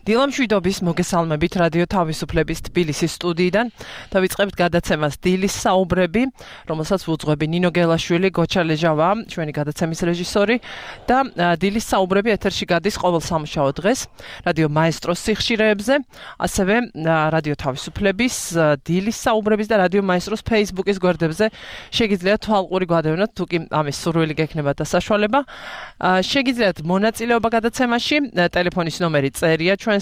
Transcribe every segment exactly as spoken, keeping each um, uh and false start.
დილამშვიდობის მოგესალმებით რადიო თავისუფლების თბილისის სტუდიიდან. დავიწყებთ გადაცემას დილის საუბრები, რომელსაც ვუძღვები ნინო გელაშვილი, გოჩა ლეჟავა, ჩვენი გადაცემის რეჟისორი და დილის საუბრები ეთერში გადის ყოველ სამუშაო დღეს რადიო მაესტროს სიხშირეებზე, ასევე რადიო თავისუფლების დილის საუბრების და რადიო მაესტროს Facebook-ის გვერდებზე შეგიძლიათ თვალყური გვადევნოთ, თუ კი ამის სურვილი გექნებათ და საშუალება. შეგიძლიათ მონაწილეობა გადაცემაში, ტელეფონის ნომერი წერია ჩვენს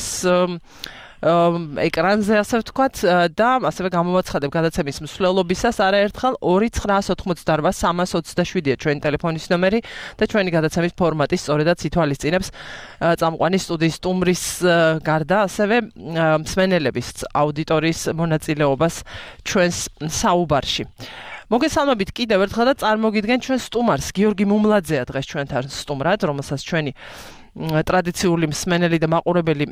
ეკრანზე, ასე ვთქვათ, და ასევე გამოვაცხადებ გადაცემის მსვლელობისას არაერთხელ ორი ცხრაას ოთხმოცდაორბა სამას ოცდაშვიდია ჩვენი ტელეფონის ნომერი და ჩვენი გადაცემის ფორმატი სწორედაც ითვალისწინებს წამყვანი სტუდიის სტუმრის გარდა ასევე მსმენელების აუდიტორიის მონაწილეობას ჩვენს საუბარში. მოგესალმებით კიდევ ერთხელ და წარმოგიდგენ ჩვენ სტუმარს. გიორგი მუმლაძეა დღეს ჩვენთან სტუმრად, რომელსაც ჩვენი ტრადიციული მსმენელი და მაყურებელი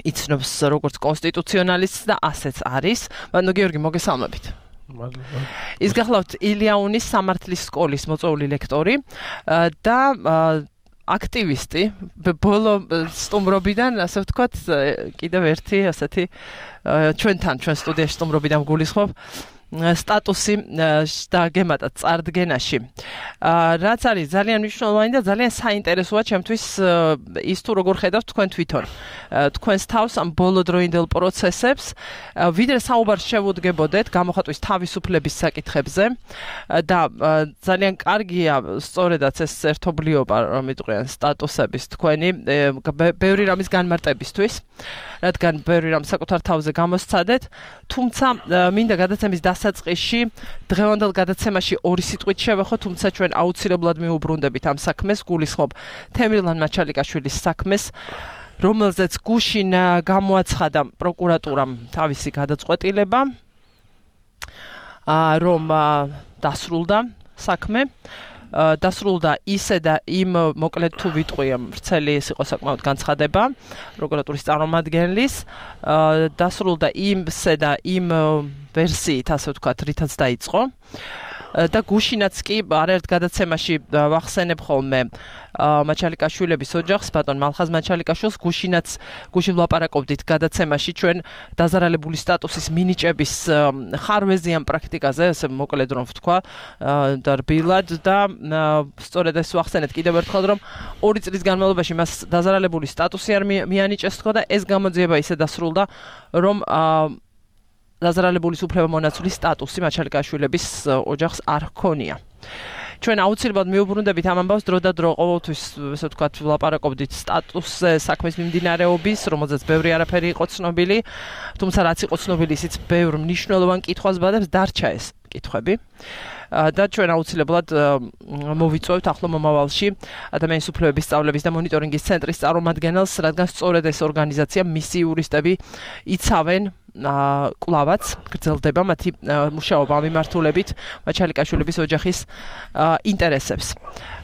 იცნობს როგორც კონსტიტუციონალისტს და ასეც არის. ანუ გიორგი, მოგესალმებით. ის გახლავთ ილიაუნის სამართლის სკოლის მოწვეული ლექტორი და აქტივისტი, ბოლო სტუმრობიდან, ასე ვთქვათ, კიდევ ერთი ასეთი ჩვენთან, ჩვენ სტუდიაში სტუმრობიდან გულისხმობ სტატუსი და გემატა წარდგენაში. რაც არის ძალიან მნიშვნელოვანი და ძალიან საინტერესოა ჩემთვის ის თუ როგორ ხედავთ თქვენ თვითონ თქვენს თავს ამ ბოლოდროინდელ პროცესებს, ვიდრე საუბარს შევუდგებოდეთ გამოხატვის თავისუფლების საკითხებზე და ძალიან კარგია სწორედაც ეს ერთობლიობა, რომ იტყვიან სტატუსების თქვენი ბევრი რამის განმარტებისთვის, რადგან ბევრი რამ საკუთარ თავზე გამოსცადეთ, თუმცა მინდა გადაცემის დასაწყისში დღევანდელ გადაცემაში ორი სიტყვით შევეხო, თუმცა ჩვენ აუცილებლად მიუბრუნდებით ამ საქმეს, გულისხმობ თემრილან მაჩალიკაშვილის საქმეს, რომელზეც გუშინ გამოაცხადა პროკურატურამ თავისი გადაწყვეტილება, რომ დასრულდა საქმე. დასრულდა ისე და იმ, მოკლედ თუ ვიტყვი, ვრცელი ეს იყო საკმაოდ განცხადება პროკურატურის წარმომადგენლის, დასრულდა იმსე და იმ ვერსიით, ასე ვთქვათ, რითაც დაიწყო. და გუშინაც კი არაერთ გადაცემაში ვახსენებ ხოლმე მაჩალიკაშვილების ოჯახს, ბატონ მალხაზ მაჩალიკაშვილს, გუშინაც გუშინ ვლაპარაკობდით გადაცემაში ჩვენ დაზარალებული სტატუსის მინიჭების ხარვეზიან პრაქტიკაზე, ესე მოკლედ რომ ვთქვა და რბილად და სწორედ ეს ვახსენეთ კიდევ ერთხელ, რომ ორი წლის განმავლობაში მას დაზარალებული სტატუსი არ მიანიჭეს თქო და ეს გამოძიება ისე დასრულდა, რომ დაზარალებულის უფლებამონაცვლის სტატუსი მაჩალიკაშვილების ოჯახს არ ჰქონია. ჩვენ აუცილებლად მიუბრუნდებით ამ ამბავს დრო და დრო, ყოველთვის, ესე ვთქვათ, ვლაპარაკობდით სტატუსზე საქმის მიმდინარეობის, რომელზეც ბევრი არაფერი იყო ცნობილი, თუმცა რაც იყო ცნობილი, ისიც ბევრ მნიშვნელოვან კითხვას ბადებს, დარჩა ეს კითხვები. და ჩვენ აუცილებლად მოვიწვევთ ახლო მომავალში ადამიანის უფლებების სწავლების და მონიტორინგის ცენტრის წარმომადგენელს, რადგან სწორედ ეს ორგანიზაცია, მისი იურისტები იცავენ კვლავაც გრძელდება მათი მუშაობა მიმართულებით მაჩალიკაშვილების ოჯახის ინტერესებს.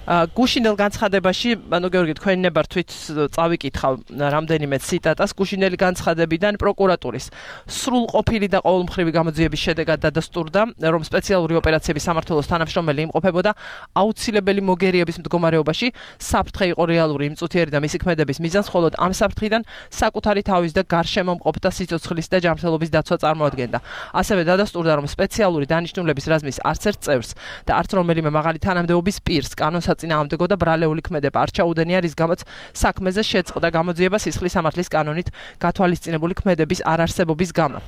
გუშინელ განცხადებაში, ანუ გეორგი, თქვენ ნებართვით წავიკითხავ რამდენიმე ციტატას გუშინელი განცხადებიდან პროკურატურის სრულყოფილი და ყოველმხრივი გამოძიების შედეგად დადასტურდა, რომ სპეციალური ოპერაციების სამმართველოს თანამშრომელი იმყოფებოდა აუცილებელი მოგერიების მდგომარეობაში, საფრთხე იყო რეალური იმწუთიერი და მისი ქმედების მიზანს, ხოლო ამ საფრთხიდან საკუთარი თავის და გარშემო მყოფთა სიცოცხლის და ჯანმრთელობის დაცვა წარმოადგენდა. ასევე დადასტურდა, რომ სპეციალური დანიშნულების რაზმის არც ერთ წევრს და არც რომელიმე მაღალი თანამდებობის პირს კანონს წინააღმდეგო და ბრალეული ქმედება არ ჩაუდენია, რის გამოც საქმეზე შეწყდა გამოძიება სისხლის სამართლის კანონით გათვალისწინებული ქმედების არარსებობის გამო.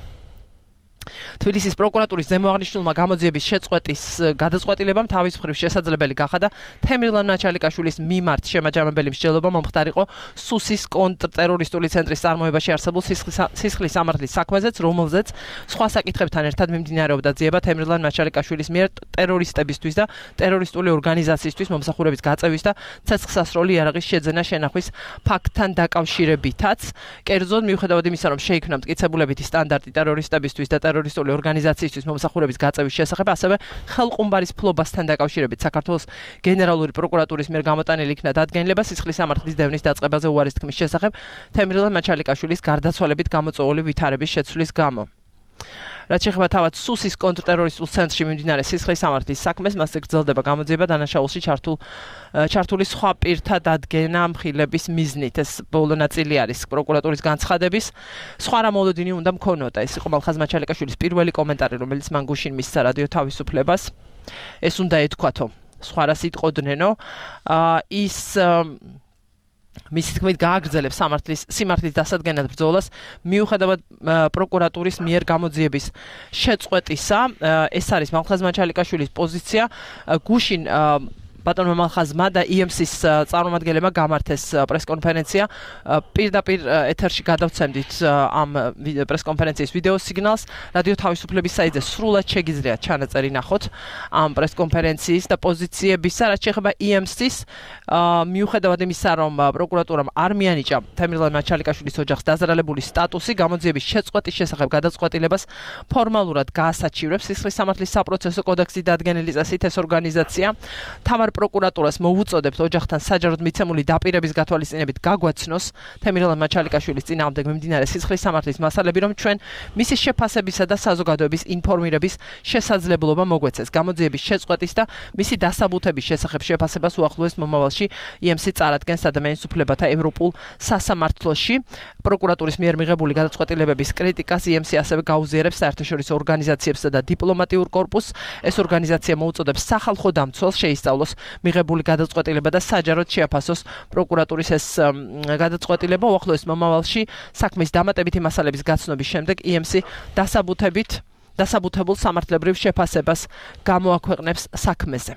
თბილისის პროკურატურის ზემოაღნიშნულმა გამოძიების შეწყვეტის გადაწყვეტილებამ თავის მხრივ შესაძლებელი გახადა თემრილან მაჩალიკაშვილის მიმართ შემაჯამებელი მსჯელობა მომხდარიყო სუსის კონტრტერორისტული ცენტრის წარმოებაში არსებულ სისხლის სამართლის საქმეზეც, რომელზეც სხვა საკითხებთან ერთად მიმდინარეობდა ძიება თემრილან მაჩალიკაშვილის მიერ ტერორისტებისთვის და ტერორისტული ორგანიზაციისთვის მომსახურების გაწევის და ცეცხლსასროლი იარაღის შეძენა შენახვის ფაქტთან დაკავშირებითაც. კერძოდ, მიუხედავად იმისა, რომ შეიქმნა მტკიცებულებითი სტანდარტი ტერორისტებისთვის და ტერორისტული ორგანიზაციისთვის მომსახურების გაწევის შესახებ, ასევე ხელყუმბარის ფლობასთან დაკავშირებით საქართველოს გენერალური პროკურატურის მიერ გამოტანილი იქნა დადგენილება სისხლის სამართლის დევნის დაწყებაზე უარის თქმის შესახებ თემრილან მაჩალიკაშვილის გარდაცვალებით გამოწვეული ვითარების შეცვლის გამო. რაც შეეხება თავად სუსის კონტრტერორისტულ ცენტრში მიმდინარე სისხლის სამართლის საქმეს, მასზე გრძელდება გამოძიება დანაშაულში ჩართულ ჩართული სხვა პირთა დადგენა მხილების მიზნით. ეს ბოლო ნაწილი არის პროკურატურის განცხადების. სხვა რა მოლოდინი უნდა მქონოდა. ეს იყო მალხაზ მაჩალიკაშვილის პირველი კომენტარი, რომელიც მან გუშინ მისცა რადიო თავისუფლებას. ეს უნდა ეთქვათო. სხვა რას იტყოდნენ, ის მისი თქმით გააგრძელებს სამართლის სიმართლის დასადგენად ბრძოლას მიუხედავად პროკურატურის მიერ გამოძიების შეწყვეტისა. ეს არის მალხაზ მაჩალიკაშვილის პოზიცია. გუშინ ბატონმა მალხაზმა და ი ემ სის წარმომადგენლებმა გამართეს პრესკონფერენცია. პირდაპირ ეთერში გადავცემდით ამ პრესკონფერენციის ვიდეო სიგნალს. რადიო თავისუფლების საიტზე სრულად შეგიძლიათ ჩანაწერი ნახოთ ამ პრესკონფერენციის და პოზიციებისა, რაც შეეხება ი ემ სის მიუხედავად იმისა, რომ პროკურატურამ არ მიანიჭა თემირლან მაჩალიკაშვილის ოჯახს დაზრალებული სტატუსი, გამოძიების შეწყვეტის შესახებ გადაწყვეტილებას ფორმალურად გაასაჩივრებს სისხლის სამართლის საპროცესო კოდექსი დადგენილი წესით ეს ორგანიზაცია. თავარ პროკურატურას მოუწოდებთ ოჯახთან საჯაროდ მიცემული დაპირების გათვალისწინებით გაგვაცნოს თემირლან მაჩალიკაშვილის წინააღმდეგ მიმდინარე სისხლის სამართლის მასალები, რომ ჩვენ მისი შეფასებისა და საზოგადოების ინფორმირების შესაძლებლობა მოგვეცეს. გამოძიების შეწყვეტის და მისი დასაბუთების შესახებ შეფასებას უახლოეს მომავალში ი ემ სი წარადგენს ადამიანის უფლებათა ევროპულ სასამართლოში. პროკურატურის მიერ მიღებული გადაწყვეტილებების კრიტიკას ი ემ სი ასევე გაუზიარებს საერთაშორისო ორგანიზაციებსა და დიპლომატიურ კორპუსს. ეს ორგანიზაცია მოუწოდებს სახალხო დამცველს შეისწავლოს მიღებული გადაწყვეტილება და საჯაროდ შეაფასოს პროკურატურის ეს გადაწყვეტილება. უახლოეს მომავალში საქმის დამატებითი მასალების გაცნობის შემდეგ ი ემ სი დასაბუთებით დასაბუთებულ სამართლებრივ შეფასებას გამოაქვეყნებს საქმეზე.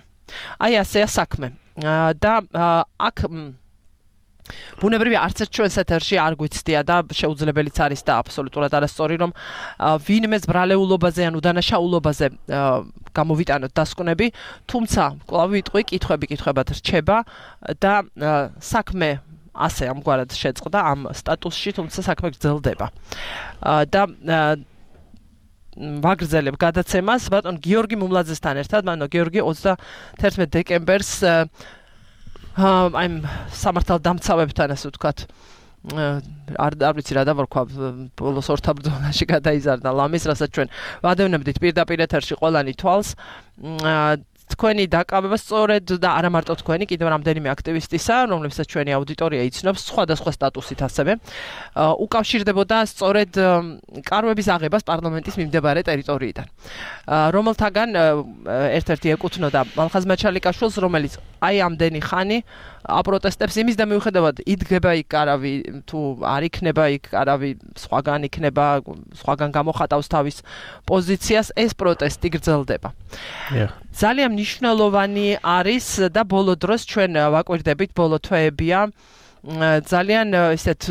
აი ასეა საქმე. და აქ ბუნებრივია არც ერთ ჩვენს ეთერში არ გვიცდია და შეუძლებელიც არის და აბსოლუტურად არასწორი, რომ ვინმეს ბრალეულობაზე ან უდანაშაულობაზე გამოვიტანოთ დასკვნები, თუმცა კვლავ ვიტყვი, კითხვები კითხვებად რჩება და საქმე ასე ამგვარად შეწყდა ამ სტატუსში, თუმცა საქმე გრძელდება. და ვაგრძელებ გადაცემას ბატონ გიორგი მუმლაძესთან ერთად, მანო გიორგი ოცდაათერთმეტ დეკემბერს აი სამართალდამცავებთან ასე ვთქვათ არ არ ვიცი რა დავარქვა ბოლოს ორთაბრძოლაში გადაიზარდა ლამის, რასაც ჩვენ ვადევნებდით პირდაპირ ეთერში ყველანი თვალს. თქვენი დაკავება სწორედ და არა მარტო თქვენი, კიდევ რამდენიმე აქტივისტისა, რომლებსაც ჩვენი აუდიტორია იცნობს სხვადასხვა სტატუსით ასევე, უკავშირდებოდა სწორედ კარვების აღებას პარლამენტის მიმდებარე ტერიტორიიდან. რომელთაგან ერთ-ერთი ეკუთვნოდა მალხაზ მაჩალიკაშვილს, რომელიც აი ამდენი ხანი აპროტესტებს იმის და მიუხედავად იდგება იქ კარავი, თუ არ იქნება იქ კარავი, სხვაგან იქნება, სხვაგან გამოხატავს თავის პოზიციას, ეს პროტესტი გრძელდება. ძალიან მნიშვნელოვანი არის და ბოლო დროს ჩვენ ვაკვირდებით, ბოლო თვეებია ძალიან ისეთ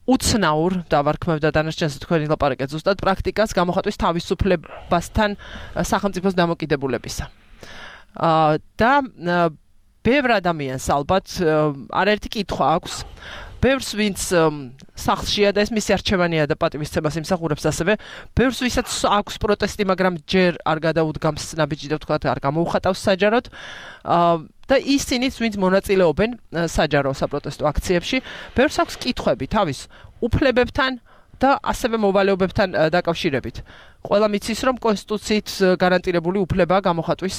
უცნაურ დავარქმევ და დანარჩენს თქვენი ლაპარაკეთ ზუსტად პრაქტიკას გამოხატვის თავისუფლებასთან სახელმწიფოს დამოკიდებულებისა. და ბევრ ადამიანს ალბათ არაერთი კითხვა აქვს. ბევრს ვინც სახლშია და ეს მისი არჩევანია და პატივისცემას იმსახურებს ასევე, ბევრს ვისაც აქვს პროტესტი, მაგრამ ჯერ არ გადაუდგამს ნაბიჯი და ვთქვათ არ გამოუხატავს საჯაროდ. და ისინიც ვინც მონაწილეობენ საჯარო საპროტესტო აქციებში, ბევრს აქვს კითხვები თავის უფლებებთან და ასევე მოვალეობებთან დაკავშირებით. ყველა მიცის, რომ კონსტიტუციით გარანტირებული უფლებაა გამოხატვის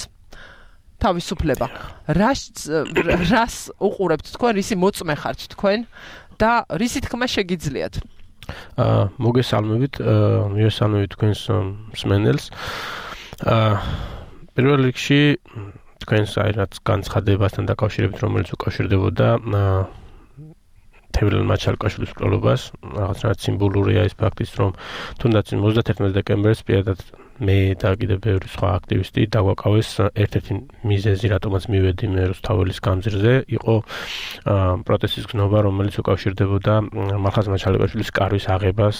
თავისუფლება. რას რას უყურებთ თქვენ, რისი მოწმე ხართ თქვენ და რისი თქმა შეგიძლიათ? აა მოგესალმებით, მიესალმებით თქვენს მსმენელს. აა პირველ რიგში თქვენს აი რაც განცხადებასთან დაკავშირებით, რომელიც უკავშირდებოდა თემირლან მაჩალიკაშვილის მკვლელობას, რაღაცნაირად სიმბოლურია ის ფაქტიც, რომ თუნდაც ოცდაათერთმეტ დეკემბერს პირადად მე და კიდევ ბევრი სხვა აქტივისტი დაგვაკავეს ერთ-ერთი მიზეზი, რატომაც მივედი მე რუსთაველის გამზირზე, იყო პროტესტის გზნობა, რომელიც უკავშირდებოდა მალხაზ მაჩალიკაშვილის კარვის აღებას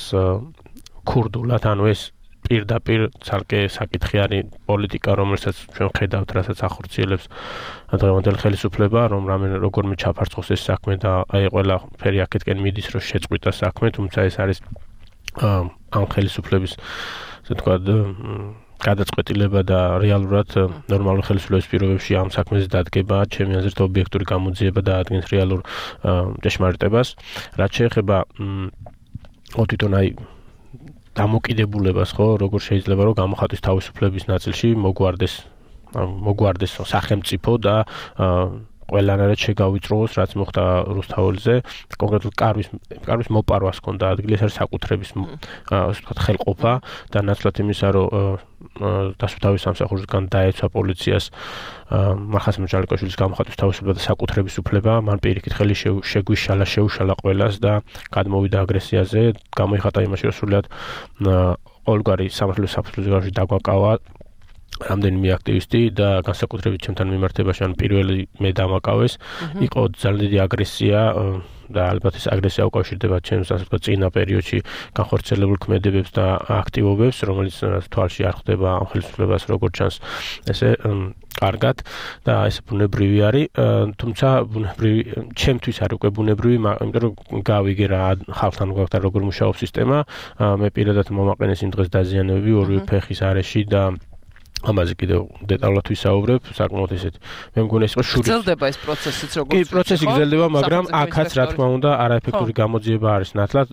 ქურდულად, ანუ ეს პირდაპირ ცალკე საკითხი არის პოლიტიკა, რომელსაც ჩვენ ხედავთ, რასაც ახორციელებს დღევანდელი ხელისუფლება, რომ რამე როგორმე ჩაფარცხოს ეს საქმე და აი ყველა ფერი აქეთკენ მიდის, რომ შეწყვიტა საქმე, თუმცა ეს არის ამ ხელისუფლების ასე ვთქვათ გადაწყვეტილება და რეალურად ნორმალურ ხელისუფლების პირობებში ამ საქმეზე დადგება, ჩემი აზრით ობიექტური გამოძიება და ადგენს რეალურ ჭეშმარიტებას. რაც შეეხება თვითონ აი დამოკიდებულებას ხო, როგორ შეიძლება რომ გამოხატვის თავისუფლების ნაწილში მოგვარდეს მოგვარდეს სახელმწიფო და ყველანაირად შეგავიწროოს, რაც მოხდა რუსთაველზე, კონკრეტულად კარვის კარვის მოპარვას ჰქონდა ადგილი, ეს არის საკუთრების ასე ვთქვათ ხელყოფა და ნაცვლად იმისა, რომ დასუფთავის სამსახურისგან დაეცვა პოლიციას მახასიმ ჯალიკაშვილის გამოხატვის თავისუფლება და საკუთრების უფლება, მან პირიქით ხელი შეგვიშალა, შეუშალა ყველას და გადმოვიდა აგრესიაზე, გამოიხატა იმაში, რომ სრულიად ყოველგვარი სამართლის საფუძველზე დაგვაკავა რამდენიმე აქტივისტი და განსაკუთრებით ჩემთან მიმართებაში ან პირველი მე დამაკავეს, იყო ძალიან დიდი აგრესია და ალბათ ეს აგრესია უკავშირდება ჩემს ასე ვთქვათ წინა პერიოდში განხორციელებულ ქმედებებს და აქტივობებს, რომელიც თვალში არ ხვდება ამ ხელისუფლებას როგორც ჩანს ესე კარგად და ეს ბუნებრივი არის, თუმცა ბუნებრივი ჩემთვის არის უკვე ბუნებრივი, იმიტომ რომ გავიგე რა ხალხთან გვაქვს როგორ მუშაობს სისტემა, მე პირადად მომაყენეს იმ დღეს დაზიანებები ორივე ფეხის არეში და ამაზე კიდევ დეტალურად ვისაუბრებ, საკმაოდ ესეთი. მე მგონი ეს იყო შური. გრძელდება ეს პროცესიც როგორც კი, პროცესი გრძელდება, მაგრამ აქაც რა თქმა უნდა არაეფექტური გამოძიება არის ნათლად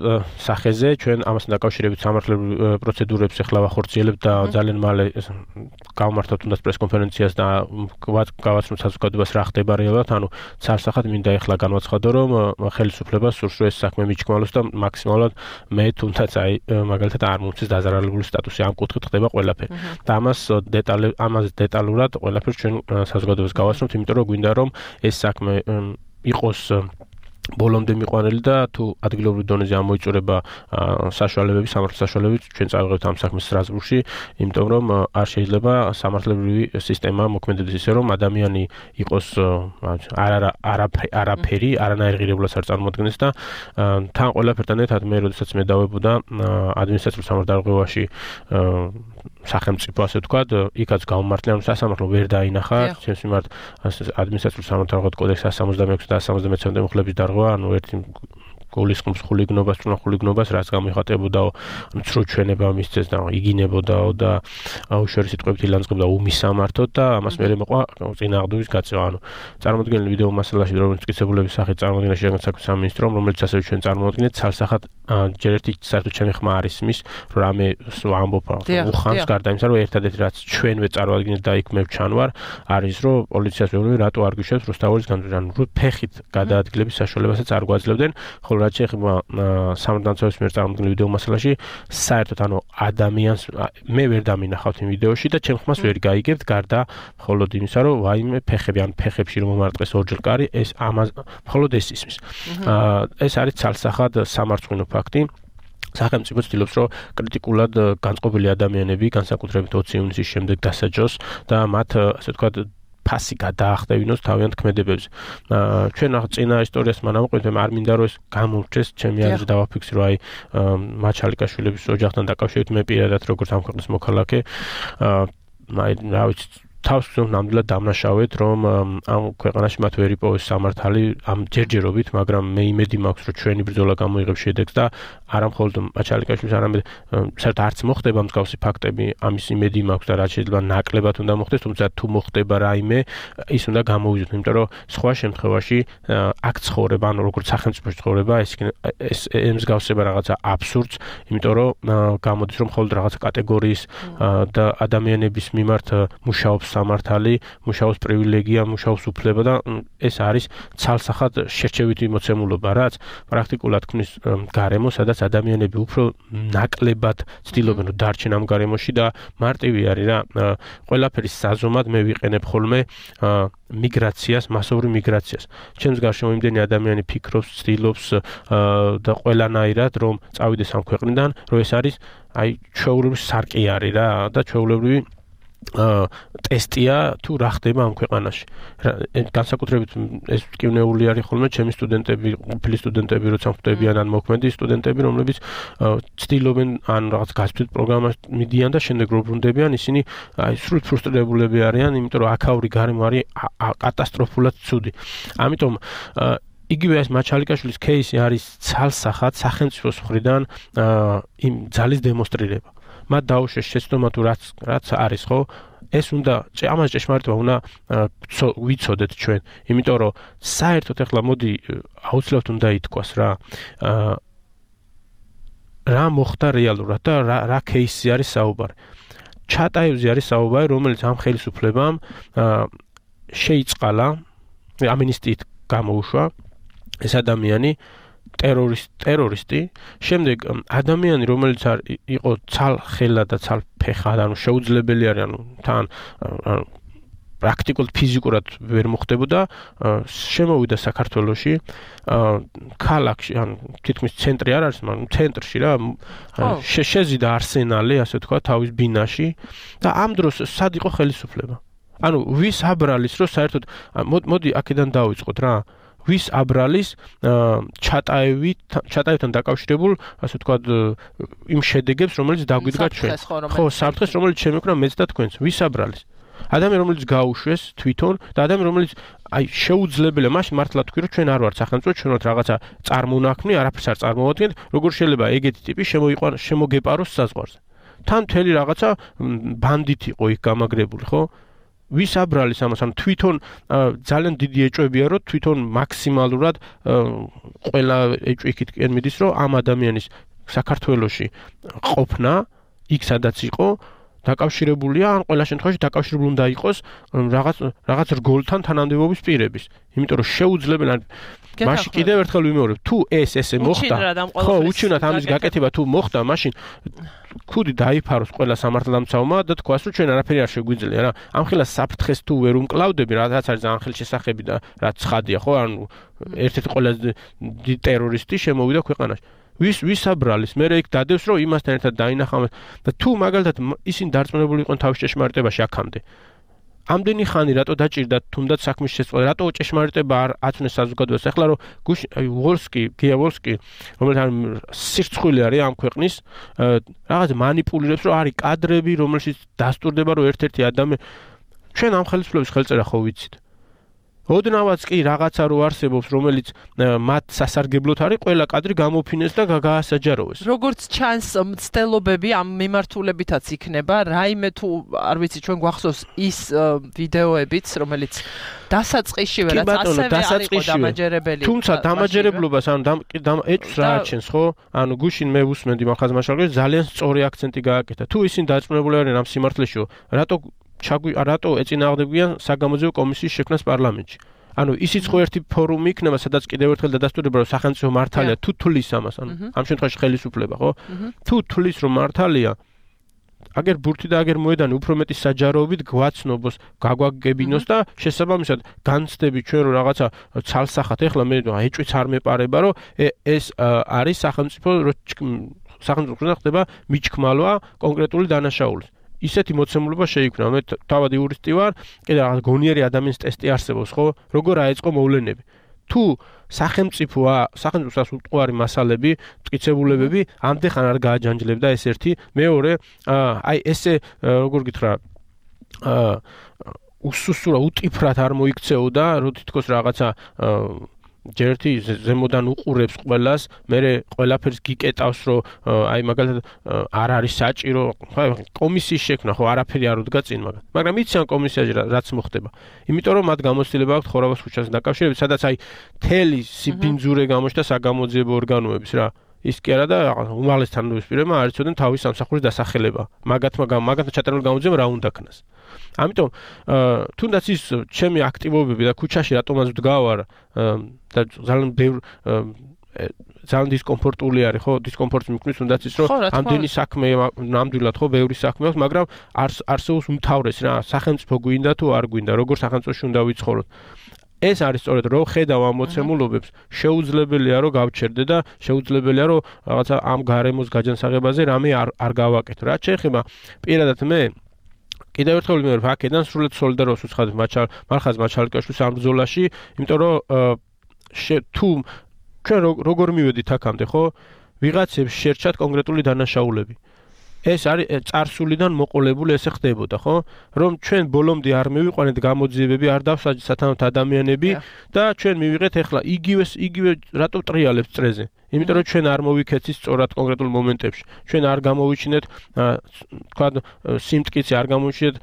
სახეზე, ჩვენ ამასთან დაკავშირებით სამართლებრივ პროცედურებს ახლა ვახორციელებთ და ძალიან მალე გავმართავთ თუნდაც პრესკონფერენციას და გავაცნობთ საზოგადოებას რა ხდება რეალურად, ანუ ცალსახად მინდა ახლა განვაცხადო, რომ ხელისუფლებას სურს რომ ეს საქმე მიჩქმალოს და მაქსიმალურად მე თუნდაც აი მაგალითად არ მომწეს დაზარალებული სტატუსი, ამ კუთხით ხდება ყველაფერი. და ამას დეტალ ამაზე დეტალურად ყველაფერს ჩვენ საზოგადოებას გავაცნობთ, იმიტომ რომ გვინდა რომ ეს საქმე იყოს ბოლომდე მიყვანილი და თუ ადგილობრივ დონეზე ამოიწურება საშუალებები, სამართლის საშუალებები, ჩვენ წავიღებთ ამ საქმეს სტრასბურგში, იმიტომ რომ არ შეიძლება სამართლებრივი სისტემა მოქმედდეს ისე რომ ადამიანი იყოს არა არაფერი, არანაირ ღირებულებას არ წარმოადგენს და თან ყველაფერთან ერთად მე როდესაც მე დავებოდა ადმინისტრაციულ სამართალდარღვევაში სახელმწიფო ასე ვთქვათ, იქაც გავმართლე, ანუ სასამართლო ვერ დაინახა, ჩემს მიმართ ადმინისტრაციულ სამართალდარღვევით კოდექსის one seventy-six და one seventy-seven მუხლების დარღვა, ანუ ერთი გულისხმობს ხულიგნობას, წუნა ხულიგნობას, რაც გამოიხატებოდაო, ანუ ცრუ ჩვენება მისცეს და იგინებოდაო და უშუალო სიტყვებით ილანძღებდა უმისამართოდ და ამას მერე მოყვა წინააღმდეგობის გაწევა, ანუ წარმოადგენელი ვიდეო მასალაში რომელიც მტკიცებულების სახით წარმოადგენდა შეგან საქმის სამინისტრომ, რომელიც ასევე ჩვენ წარმოვადგინეთ ცალსახად ჯერ ერთი საერთოდ ჩემი ხმა არის მის, რომ რამე ამბობ უხანს გარდა იმისა, რომ ერთადერთი რაც ჩვენვე წარმოვადგინეთ და იქ მე ვჩანვარ, არის რომ პოლიციას ვეუბნები რატო არ გვიშვებს რუსთაველის განზრახვა, ანუ ფეხით გადაადგილების საშუალებასაც არ გვაძლევდნენ, ხოლო რაც შეეხება სამართალდამცველის მიერ წარმოქმნილ ვიდეო მასალაში, საერთოდ ანუ ადამიანს მე ვერ დამინახავთ იმ ვიდეოში და ჩემ ხმას ვერ გაიგებთ გარდა მხოლოდ იმისა, რომ ვაიმე ფეხები ან ფეხებში რომ მომარტყეს ორჯერ კარი, ეს ამას მხოლოდ ეს ისმის. ეს არის ცალსახად სამარცხვინო ფაქტი. სახელმწიფო ცდილობს, რომ კრიტიკულად განწყობილი ადამიანები, განსაკუთრებით ოცი ივნისის შემდეგ დასაჯოს და მათ ასე ვთქვათ ფასი გადაახტევინოს თავიანთ ქმედებებზე. ჩვენ ახლა წინა ისტორიას მანავყვეთ, არ მინდა რომ ეს გამორჩეს, ჩემი აზრით დავაფიქსირო, აი მაჩალიკაშვილების ოჯახთან დაკავშირებით მე პირადად როგორც ამ ქვეყნის მოქალაქე, აი რა ვიცი თავს ვზრუნავ ნამდვილად დამნაშავეთ, რომ ამ ქვეყანაში მათ ვერ იპოვეს სამართალი ამ ჯერჯერობით, მაგრამ მე იმედი მაქვს, რომ ჩვენი ბრძოლა გამოიღებს შედეგს და არა მხოლოდ მაჩალიკაშვილის, არამედ საერთოდ არც მოხდება მსგავსი ფაქტები, ამის იმედი მაქვს და რაც შეიძლება ნაკლებად უნდა მოხდეს, თუმცა თუ მოხდება რაიმე, ის უნდა გამოვიზოთ, იმიტომ რომ სხვა შემთხვევაში აქ ცხოვრება, ანუ როგორც სახელმწიფოში ცხოვრება, ეს ეს ემსგავსება რაღაცა აბსურდს, იმიტომ რომ გამოდის რომ მხოლოდ რაღაცა კატეგორიის და ადამიანების მიმართ მუშაობს სამართალი, მუშაობს პრივილეგია, მუშაობს უფლება და ეს არის ცალსახად შერჩევითი მოცემულობა, რაც პრაქტიკულად ქმნის გარემო, სადაც ადამიანები უფრო ნაკლებად ცდილობენ რომ დარჩენ ამ გარემოში და მარტივი არის რა, ყველაფერის საზომად მე ვიყენებ ხოლმე მიგრაციას, მასოვრივ მიგრაციას. ჩემს გარშემო იმდენი ადამიანი ფიქრობს, ცდილობს და ყველანაირად რომ წავიდეს ამ ქვეყნიდან, რომ ეს არის აი ჩვეულებრივი სარკე არის რა და ჩვეულებრივი ტესტია თუ რა ხდება ამ ქვეყანაში. განსაკუთრებით ეს მტკივნეული არის ხოლმე ჩემი სტუდენტები, ყოფილი სტუდენტები, როცა ხვდებიან ან მოქმედი სტუდენტები, რომლებიც ცდილობენ ან რაღაც გასწვრივ პროგრამას მიდიან და შემდეგ რო ბრუნდებიან, ისინი აი სრულად ფრუსტრირებულები არიან, იმიტომ რომ აქაური გარემო არის კატასტროფულად ცუდი. ამიტომ იგივე ეს მაჩალიკაშვილის кейსი არის ცალსახად სახელმწიფოს მხრიდან იმ ძალის დემონსტრირება. მათ დაუშვეს შეცდომა თუ რაც რაც არის ხო, ეს უნდა ამას ჭეშმარიტება უნდა ვიცოდეთ ჩვენ, იმიტომ რომ საერთოდ ახლა მოდი აუცილებლად უნდა ითქვას რა, რა მოხდა რეალურად და რა რა кейსი არის საუბარი. ჩატაევზე არის საუბარი, რომელიც ამ ხელისუფლებამ შეიწყალა, ამინისტიით გამოუშვა ეს ადამიანი ტერორისტ ტერორისტი, შემდეგ ადამიანი, რომელიც იყო ცალხელა და ცალფეხა, ანუ შეუძლებელი არის, ანუ თან პრაქტიკულად ფიზიკურად ვერ მოხდებოდა, შემოვიდა საქართველოში, ქალაქში, ანუ თითქმის ცენტრი არ არის, მაგრამ ცენტრში რა, შეზიდა არსენალი, ასე თქვა, თავის ბინაში და ამ დროს სად იყო ხელისუფლება? ანუ ვის აბრალის, რომ საერთოდ მოდი აქედან დავიწყოთ რა. ვის აბრალის ჩატაევით ჩატაევთან დაკავშირებულ, ასე ვთქვათ, იმ შედეგებს, რომელიც დაგვიდგა ჩვენ. ხო, საფრთხეს, რომელიც შემეკვრა მეც და თქვენს. ვის აბრალის? ადამიანი, რომელიც გაუშვეს თვითონ და ადამიანი, რომელიც აი შეუძლებელია, მაშინ მართლა თქვი, რომ ჩვენ არ ვართ სახელმწიფო, ჩვენ ვართ რაღაცა წარმონაქმნი, არაფერს არ წარმოვადგენთ, როგორ შეიძლება ეგეთი ტიპი შემოიყვანოს, შემოგეპაროს საზღვარზე. თან მთელი რაღაცა ბანდიტი იყო იქ გამაგრებული, ხო? ვის აბრალის ამას, ანუ თვითონ ძალიან დიდი ეჭვებია, რომ თვითონ მაქსიმალურად ყველა ეჭვი იქითკენ მიდის, რომ ამ ადამიანის საქართველოში ყოფნა, იქ სადაც იყო, დაკავშირებულია, ან ყველა შემთხვევაში დაკავშირებული უნდა იყოს რაღაც რაღაც რგოლთან თანამდებობის პირების. იმიტომ რომ შეუძლებელია მაშინ კიდევ ერთხელ ვიმეორებ, თუ ეს ესე მოხდა, ხო, უჩინოთ ამის გაკეთება თუ მოხდა, მაშინ ქუდი დაიფაროს ყველა სამართალდამცავმა და თქვას, რომ ჩვენ არაფერი არ შეგვიძლია რა. ამ ხელას საფრთხეს თუ ვერ უმკლავდები, რაც არის ძალიან ხელშესახები და რაც ცხადია, ხო, ანუ ერთ-ერთი ყველაზე დიდი ტერორისტი შემოვიდა ქვეყანაში. ვის ვის აბრალის, მე იქ დადევს, რომ იმასთან ერთად დაინახავენ და თუ მაგალითად ისინი დარწმუნებული იყვნენ თავის ჭეშმარიტებაში აქამდე. ამდენი ხანი რატო დაჭირდათ თუნდაც საქმის შეწყობა, რატო ჭეშმარიტება არ აცნეს საზოგადოებას? ახლა რომ გუშინ ვოლსკი, გია ვოლსკი, რომელიც სირცხვილი არის ამ ქვეყნის, რაღაც მანიპულირებს, რომ არის კადრები, რომელშიც დასტურდება, რომ ერთ-ერთი ადამიანი ჩვენ ამ ხელისუფლების ხელწერა ხო ვიცით. ოდნავაც კი რაღაცა რო არსებობს, რომელიც მათ სასარგებლოდ არის, ყველა კადრი გამოფინეს და გაასაჯაროვეს. როგორც ჩანს, მცდელობები ამ მიმართულებითაც იქნება, რაიმე თუ არ ვიცი, ჩვენ გვახსოვს ის ვიდეოებიც, რომელიც დასაწყისშივე რაც ასევე არ იყო დამაჯერებელი. თუმცა დამაჯერებლობას, ანუ ეჭვს რა აჩენს, ხო? ანუ გუშინ მე უსმენდი მახაზმაშალგეს, ძალიან სწორი აქცენტი გააკეთა. თუ ისინი დაწუნებული არიან ამ სიმართლეშიო, რატო ჩაგვი რატო ეწინააღმდეგებიან საგამოძიებო კომისიის შექმნას პარლამენტში. ანუ ისიც ხო ერთი ფორუმი იქნება, სადაც კიდევ ერთხელ დადასტურდება, რომ სახელმწიფო მართალია თუ თulis ამას, ანუ ამ შემთხვევაში ხელისუფლება, ხო? თუ თulis რომ მართალია, აგერ ბურთი და აგერ მოედანი უფრო მეტი საჯაროობით გვაცნობს, გაგვაგებინოს და შესაბამისად განცდები ჩვენ რომ რაღაცა ცალსახად, ეხლა მე ეჭვიც არ მეპარება, რომ ეს არის სახელმწიფო სახელმწიფო ხდება მიჩქმალვა კონკრეტული დანაშაულის. ისეთი მოცემულობა შეიქმნა. მე თავად იურისტი ვარ, კიდე რაღაც გონიერი ადამიანის ტესტი არსებობს, ხო? როგორ აეწყო მოვლენები. თუ სახელმწიფოა, სახელმწიფოს უტყუარი მასალები, მტკიცებულებები ამდეხან არ გააჯანჯლებდა ეს ერთი, მეორე, აი ესე როგორ გითხრა, აა უსუსურა უტიფრად არ მოიქცეოდა, რო თითქოს რაღაცა ჯერთი ზემოდან უყურებს ყველას, მე ყველაფერს გიკეტავს, რომ აი მაგალითად არ არის საჭირო, კომისიის შექმნა, ხო, არაფერი არ უდგა წინ მაგას. მაგრამ იცი ამ კომისიაში რაც მოხდება. იმიტომ რომ მათ გამოცდილება აქვს ხორავას ქუჩას დაკავშირებით, სადაც აი თელი სიბინძურე გამოჩნდა საგამოძიებო ორგანოების რა. ის კი არა და უმაღლეს თანამდებობისპირებმა არ იცოდნენ თავის სამსახურის დასახელება. მაგათმა მაგათმა ჩატარებული გამოძიება რა უნდა ქნას. ამიტომ თუნდაც ის ჩემი აქტივობები და ქუჩაში რატომაც ვდგავარ და ძალიან ბევრ ძალიან დისკომფორტული არის, ხო, დისკომფორტს მიკნის, თუნდაც ის რომ ამდენი საქმე ნამდვილად ხო ბევრი საქმე აქვს, მაგრამ არსებობს უმთავრეს რა, სახელმწიფო გვინდა თუ არ გვინდა, როგორ სახელმწიფოში უნდა ვიცხოვროთ. ეს არის სწორედ რომ ხედავ ამ მოცემულობებს, შეუძლებელია რომ გავჩერდე და შეუძლებელია რომ რაღაცა ამ გარემოს გაჯანსაღებაზე რამე არ არ გავაკეთო. რაც შეეხება პირადად მე კიდევ ერთხელ ვიმეორებ, აქედან სრულად სოლიდარობას ვუცხადებ მარხაზ მაჩალკაშვილის ამ ბრძოლაში, იმიტომ რომ თუ ჩვენ როგორ მივედით აქამდე, ხო? ვიღაცებს შერჩათ კონკრეტული დანაშაულები. ეს არის წარსულიდან მოყოლებული ესე ხდებოდა, ხო? რომ ჩვენ ბოლომდე არ მივიყვანეთ გამოძიებები, არ დავსაჯეთ სათანადო ადამიანები და ჩვენ მივიღეთ ეხლა იგივე იგივე რატო ტრიალებს წრეზე? იმიტომ რომ ჩვენ არ მოვიქეცით სწორად კონკრეტულ მომენტებში. ჩვენ არ გამოვიჩინეთ, თქვა, სიმტკიცე, არ გამოვიჩინეთ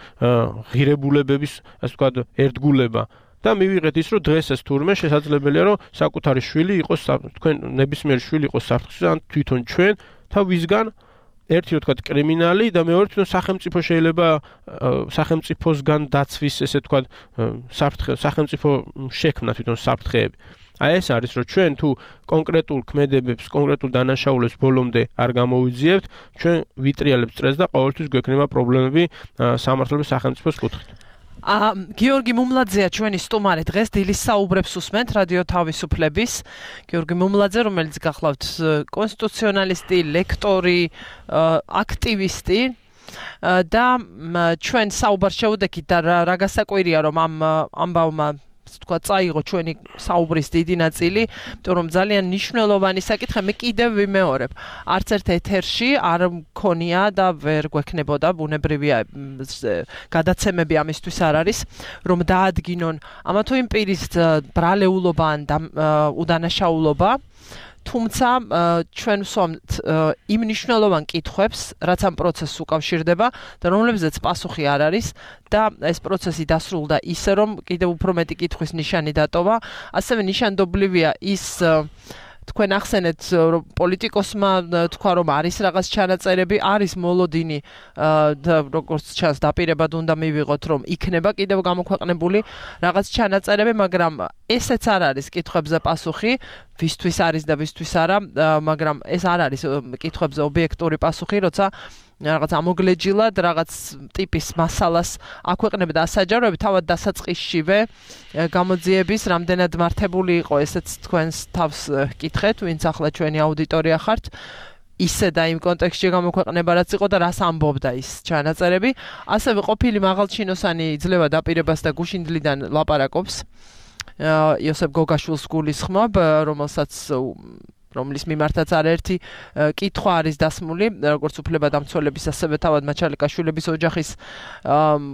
ღირებულებების, ასე თქვა, ერთგულება. და მივიღეთ ის, რომ დღეს ეს თურმე შესაძლებელია, რომ საკუთარი შვილი იყოს, თქვენ ნებისმიერი შვილი იყოს საფრთხეში, ან თვითონ ჩვენ და ვისგან ერთი რო თქვა კრიმინალი და მეორე თვითონ სახელმწიფო შეიძლება სახელმწიფოსგან დაცვის ესე თქვა საფრთხე სახელმწიფო შექმნა თვითონ საფრთხეები. აი ეს არის რომ ჩვენ თუ კონკრეტულ ქმედებებს, კონკრეტულ დანაშაულებს ბოლომდე არ გამოვიძიებთ, ჩვენ ვიტრიალებთ სტრესს და ყოველთვის გვექნება პრობლემები სამართლების სახელმწიფოს კუთხით. აა გიორგი მუმლაძეა ჩვენი სტუმარი დღეს დილის საუბრებს უსმენთ რადიო თავისუფლების. გიორგი მუმლაძე, რომელიც გახლავთ კონსტიტუციონალისტი, ლექტორი, აქტივისტი და ჩვენ საუბარს შევუდექით და რა გასაკვირია რომ ამ ამბავმა თქვა წაიღო ჩვენი საუბრის დიდი ნაწილი, იმიტომ რომ ძალიან მნიშვნელოვანი საკითხი მე კიდევ ვიმეორებ. არც ერთ ეთერში არ მქონია და ვერ გვექნებოდა ბუნებრივია გადაცემები ამისთვის არ არის, რომ დაადგინონ ამა თუ იმ პირის ბრალეულობა ან უდანაშაულობა. თუმცა ჩვენ ვსვამთ იმ მნიშვნელოვან კითხვებს, რაც ამ პროცესს უკავშირდება და რომლებზეც პასუხი არ არის და ეს პროცესი დასრულდა ისე, რომ კიდევ უფრო მეტი კითხვის ნიშანი დატოვა. ასევე ნიშანდობლივია ის თქვენ ახსენეთ რომ პოლიტიკოსმა თქვა რომ არის რაღაც ჩანაწერები, არის მოლოდინი და როგორც ჩანს დაპირებად უნდა მივიღოთ რომ იქნება კიდევ გამოქვეყნებული რაღაც ჩანაწერები, მაგრამ ესეც არ არის კითხვებზე პასუხი, ვისთვის არის და ვისთვის არა, მაგრამ ეს არ არის კითხვებზე ობიექტური პასუხი, როცა რაღაც ამოგლეჯილად რაღაც ტიპის მასალას აქვეყნებდა ასაჯაროები, თავად დასაწყისშივე გამოძიების რამდენად მართებული იყო, ესეც თქვენს თავს კითხეთ, ვინც ახლა ჩვენი აუდიტორია ხართ. ისე და იმ კონტექსტში გამოქვეყნება რაც იყო და რას ამბობდა ის ჩანაწერები. ასევე ყოფილი მაღალჩინოსანი იძლევა დაპირებას და გუშინდლიდან ლაპარაკობს. იოსებ გოგაშვილს გულისხმობ, რომელსაც რომლის მიმართაც არაერთი კითხვა არის დასმული, როგორც უფლებადამცველების, ასევე თავად მაჩალიკაშვილების ოჯახის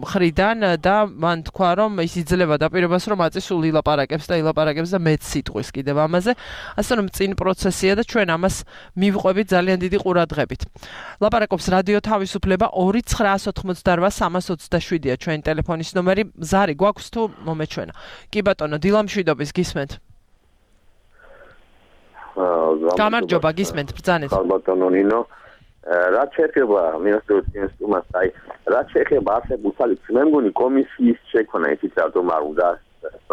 მხრიდან და მან თქვა, რომ ის იძლევა დაპირებას, რომ აწისულ ილაპარაკებს და ილაპარაკებს და მეც სიტყვის კიდევ ამაზე, ასე რომ წინ პროცესია და ჩვენ ამას მივყვებით ძალიან დიდი ყურადღებით. ლაპარაკობს რადიო თავისუფლება ორი ცხრაას ოთხმოცდარვა სამას ოცდაშვიდია ჩვენი ტელეფონის ნომერი. ზარი გვაქვს თუ მომეჩვენა? კი ბატონო, დილამშვიდობის გისმენთ. გამარჯობა, გისმენთ ბრძანეთ. ბატონო ნინო, რაც შეეხება მინისტრიის სტუმარს, აი, რაც შეეხება არსებულ საკითხს, მე მგონი კომისიის შექმნა ისიც რატომ არ უნდა,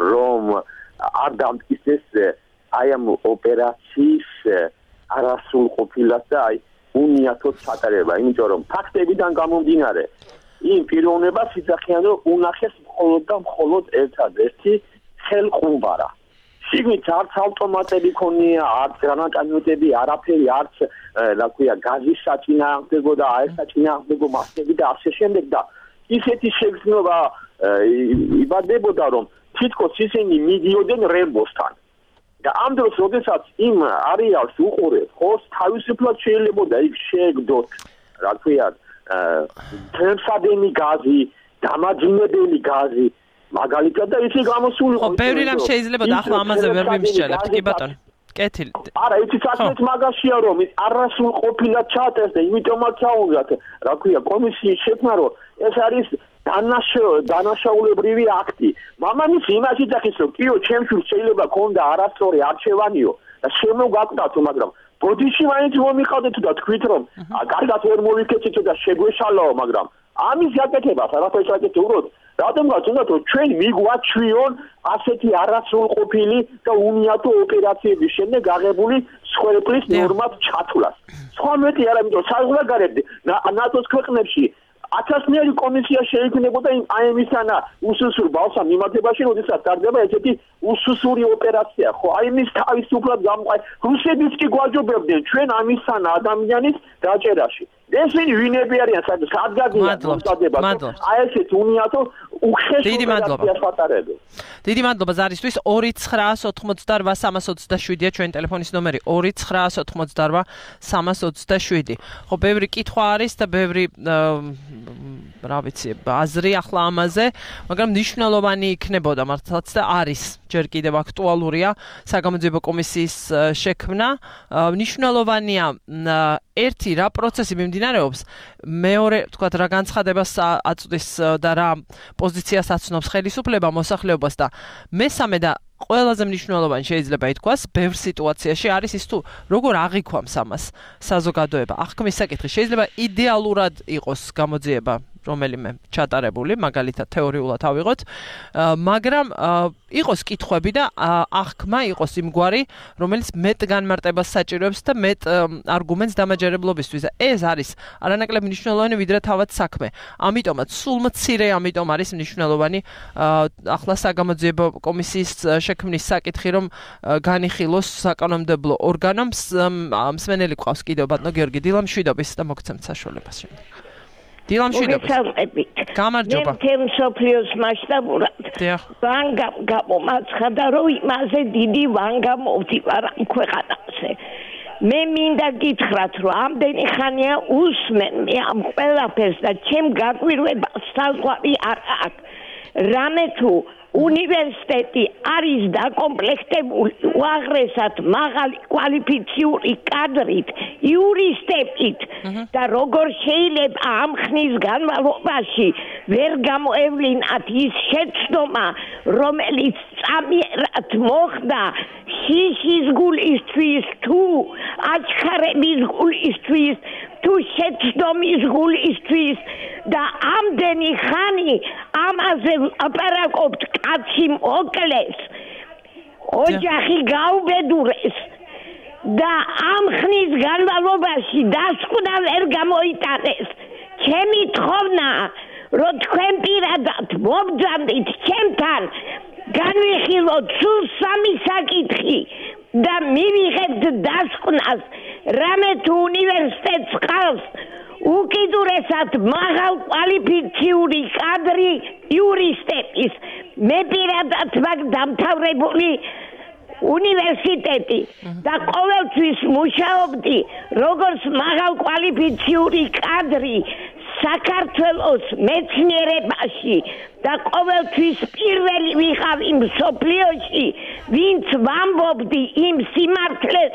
რომ არ დამტკიცეს აი ამ ოპერაციის არასრულყოფილად და აი უნიათოდ ჩატარება, იმიტომ რომ ფაქტებიდან გამომდინარე, იმ პიროვნებას იცახიან, რომ უნახეს მხოლოდ და მხოლოდ ერთადერთი ხელყუმბარა. შიგნით არც ავტომატები ქონია, არც გრანატომეტები, არაფერი, არც რა ქვია, გაზის საწინააღმდეგო და აირსაწინააღმდეგო მასები და ასე შემდეგ და ისეთი შეგრძნობა იბადებოდა, რომ თითქოს ისინი მიდიოდნენ რემბოსთან. და ამ დროს, როდესაც იმ არეალს უყურებთ, ხო, თავისუფლად შეიძლებოდა იქ შეეგდოთ, რა ქვია, თემსადენი გაზი, დამაჯინებელი გაზი მაგალითად და ისი გამოსული ხო, ბევრი რამ შეიძლება და ახლა ამაზე ვერ ვიმსჯელებთ, კი ბატონო. კეთილი. არა, იცი საქმეც მაგაშია რომ ის არასრულყოფილად ჩაწერს და იმიტომაც აუნდათ, რა ქვია, კომისიის შექმნა, რომ ეს არის დანაშაულებრივი აქტი. მამამისი იმაში დახის, რომ კიო, ჩემს შვილს შეიძლება ქონდა არასწორი არჩევანიო და შემოგაკვდათო, მაგრამ ბოდიში მაინც მომიყავდეთ და თქვით რომ კარგად ვერ მოვიქეცით და შეგვეშალაო, მაგრამ ამის გაკეთებას არაფერს აკეთებდით. რადგანაც უნდა რომ ჩვენ მიგვაჩვიონ ასეთი არასრულყოფილი და უნიათო ოპერაციების შემდეგ აღებული სხეულის ნორმად ჩათვლას. სხვა მეტი არა, იმიტომ საზღვარგარეთ ნატოს ქვეყნებში ათასნაირი კომისია შეიქმნებოდა აი ამისანა უსუსურ ბავშვს მიმართებაში, როდესაც ტარდება ესეთი უსუსური ოპერაცია. ხო, აი მის თავისუფლად გამყარ რუსებიც კი გვაჯობებდნენ ჩვენ ამისანა ადამიანის დაჭერაში. ესენი ვინები არიან სადგაგია მომწადება. აი ესეთ უნიათო უხეშობაციას ვატარებენ. დიდი მადლობა ზარისთვის. ორი ცხრაას ოთხმოცდარვა სამას ოცდაშვიდია ჩვენი ტელეფონის ნომერი. ორი ცხრაას ოთხმოცდარვა სამას ოცდაშვიდი. ხო, ბევრი კითხვა არის და ბევრი რა ვიცი, აზრი ახლა ამაზე, მაგრამ მნიშვნელოვანი იქნებოდა მართლაც და არის ჯერ კიდევ აქტუალურია საგამოძიებო კომისიის შექმნა. მნიშვნელოვანია ერთი რა პროცესი მიმდინარეობს, მეორე, თქვათ, რა განცხადებას აწვდის და რა პოზიციას აცნობს ხელისუფლება მოსახლეობას და მესამე და ყველაზე მნიშვნელოვანი შეიძლება ითქვას, ბევრ სიტუაციაში არის ის თუ როგორ აღიქვამს ამას საზოგადოება. აღქმის საკითხი შეიძლება იდეალურად იყოს გამოძიება რომელიმე ჩატარებული, მაგალითად თეორიულად ავიღოთ, მაგრამ იყოს კითხვები და აღქმა იყოს იმგვარი, რომელიც მეტ განმარტებას საჭიროებს და მეტ არგუმენტს დამაჯერებლობისთვის. და ეს არის არანაკლებ მნიშვნელოვანი ვიდრე თავად საქმე. ამიტომაც სულ მცირე ამიტომ არის მნიშვნელოვანი ახლა საგამოძიებო კომისიის შექმნის საკითხი, რომ განიხილოს საკანონმდებლო ორგანომ. მსმენელი ყავს კიდევ ბატონო გიორგი დილამშვიდობის და მოგცემთ საშუალებას. დილამშვიდობის. გამარჯობა. მე თემ სოფლიოს მასშტაბურად. ვანგა გამომაცხადა, რომ იმაზე დიდი ვანგა მოვდივარ ამ ქვეყანაზე. მე მინდა გითხრათ, რომ ამდენი ხანია უსმენ მე ამ ყველაფერს და ჩემ გაკვირვება საზღვარი არ აქვს. რამე თუ უნივერსიტეტი არის დაკომპლექტებული უაღრესად მაღალი კვალიფიციური კადრით, იურისტებით და როგორ შეიძლება ამ ხნის განმავლობაში ვერ გამოევლინათ ის შეცდომა, რომელიც წამიერად მოხდა შიშის გულისთვის თუ აჩქარების გულისთვის თუ შეცდომის გულისთვის და ამდენი ხანი ამაზე აპარაკობთ კაცი მოკლეს, ოჯახი გაუბედურეს და ამ ხნის განმავლობაში დასკვნა ვერ გამოიტანეს. ჩემი თხოვნაა, რომ თქვენ პირადად მობრძანდით ჩემთან, განვიხილოთ სულ სამი საკითხი და მივიღებთ დასკვნას, რამე თუ უნივერსიტეტს ყავს უკიდურესად მაღალ კვალიფიციური კადრი იურისტების. მე პირადად მაგ დამთავრებული უნივერსიტეტი და ყოველთვის მუშაობდი როგორც მაღალ კვალიფიციური კადრი საქართველოს მეცნიერებაში და ყოველთვის პირველი ვიყავი მსოფლიოში, ვინც ვამბობდი იმ სიმართლეს,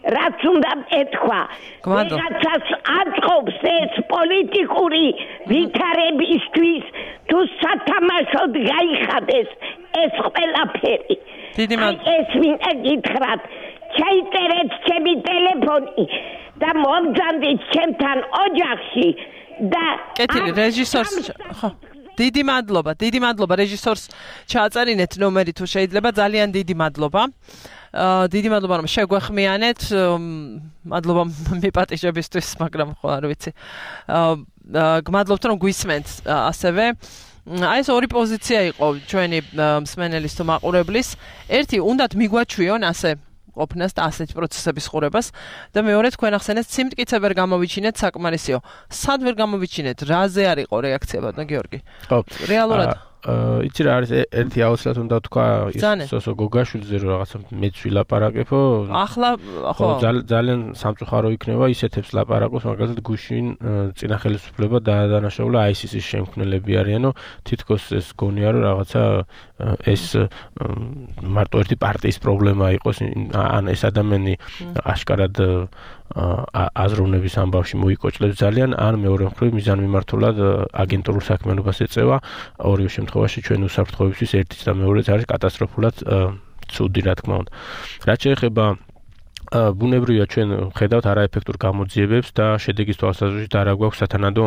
რაც უნდა ეთქვა. ვიღაცას აწყობს ეს პოლიტიკური ვითარებისთვის თუ სათამაშოდ გაიხადეს ეს ყველაფერი. ეს მინდა გითხრათ, ჩაიწერეთ ჩემი ტელეფონი და მომძანდით ჩემთან ოჯახში და კეთილი რეჟისორს ხო დიდი მადლობა, დიდი მადლობა რეჟისორს ჩააწერინეთ ნომერი თუ შეიძლება, ძალიან დიდი მადლობა. დიდი მადლობა რომ შეგვეხმიანეთ, მადლობა მიპატიჟებისთვის, მაგრამ ხო არ ვიცი. გმადლობთ რომ გვისმენთ ასევე. აი ეს ორი პოზიცია იყო ჩვენი მსმენელის თუ მაყურებლის. ერთი უნდათ მიგვაჩვიონ ასე ყოფნას და ასეთი პროცესების ხურებას და მეორე თქვენ ახსენეთ სიმტკიცე ვერ გამოვიჩინეთ საკმარისიო. სად ვერ გამოვიჩინეთ? რაზე არ იყო რეაქცია ბატონო გიორგი? ხო. რეალურად იცი რა არის ერთი აუცილებლად უნდა თქვა სოსო გოგაშვილზე რომ რაღაცა მეც ვილაპარაკებო. ახლა ხო ძალიან სამწუხარო იქნება ისეთებს ლაპარაკოს, მაგალითად გუშინ წინა ხელისუფლება დაადანაშაულა აი სი სი-ის შემქმნელები არიანო, თითქოს ეს გონია რომ რაღაცა ეს მარტო ერთი პარტიის პრობლემა იყოს, ან ეს ადამიანი აშკარად აზროვნების ამბავში მოიკოჭლებს ძალიან, ან მეორე მხრივ მიზანმიმართულად აგენტურულ საქმიანობას ეწევა. ორივე შემთხვევაში ჩვენ უსაფრთხოებისთვის ერთიც და მეორეც არის კატასტროფულად ცუდი, რა თქმა უნდა. რაც შეეხება ბუნებრივია ჩვენ ხედავთ არაეფექტურ გამოძიებებს და შედეგის თვალსაზრისით არ აგვაქვს სათანადო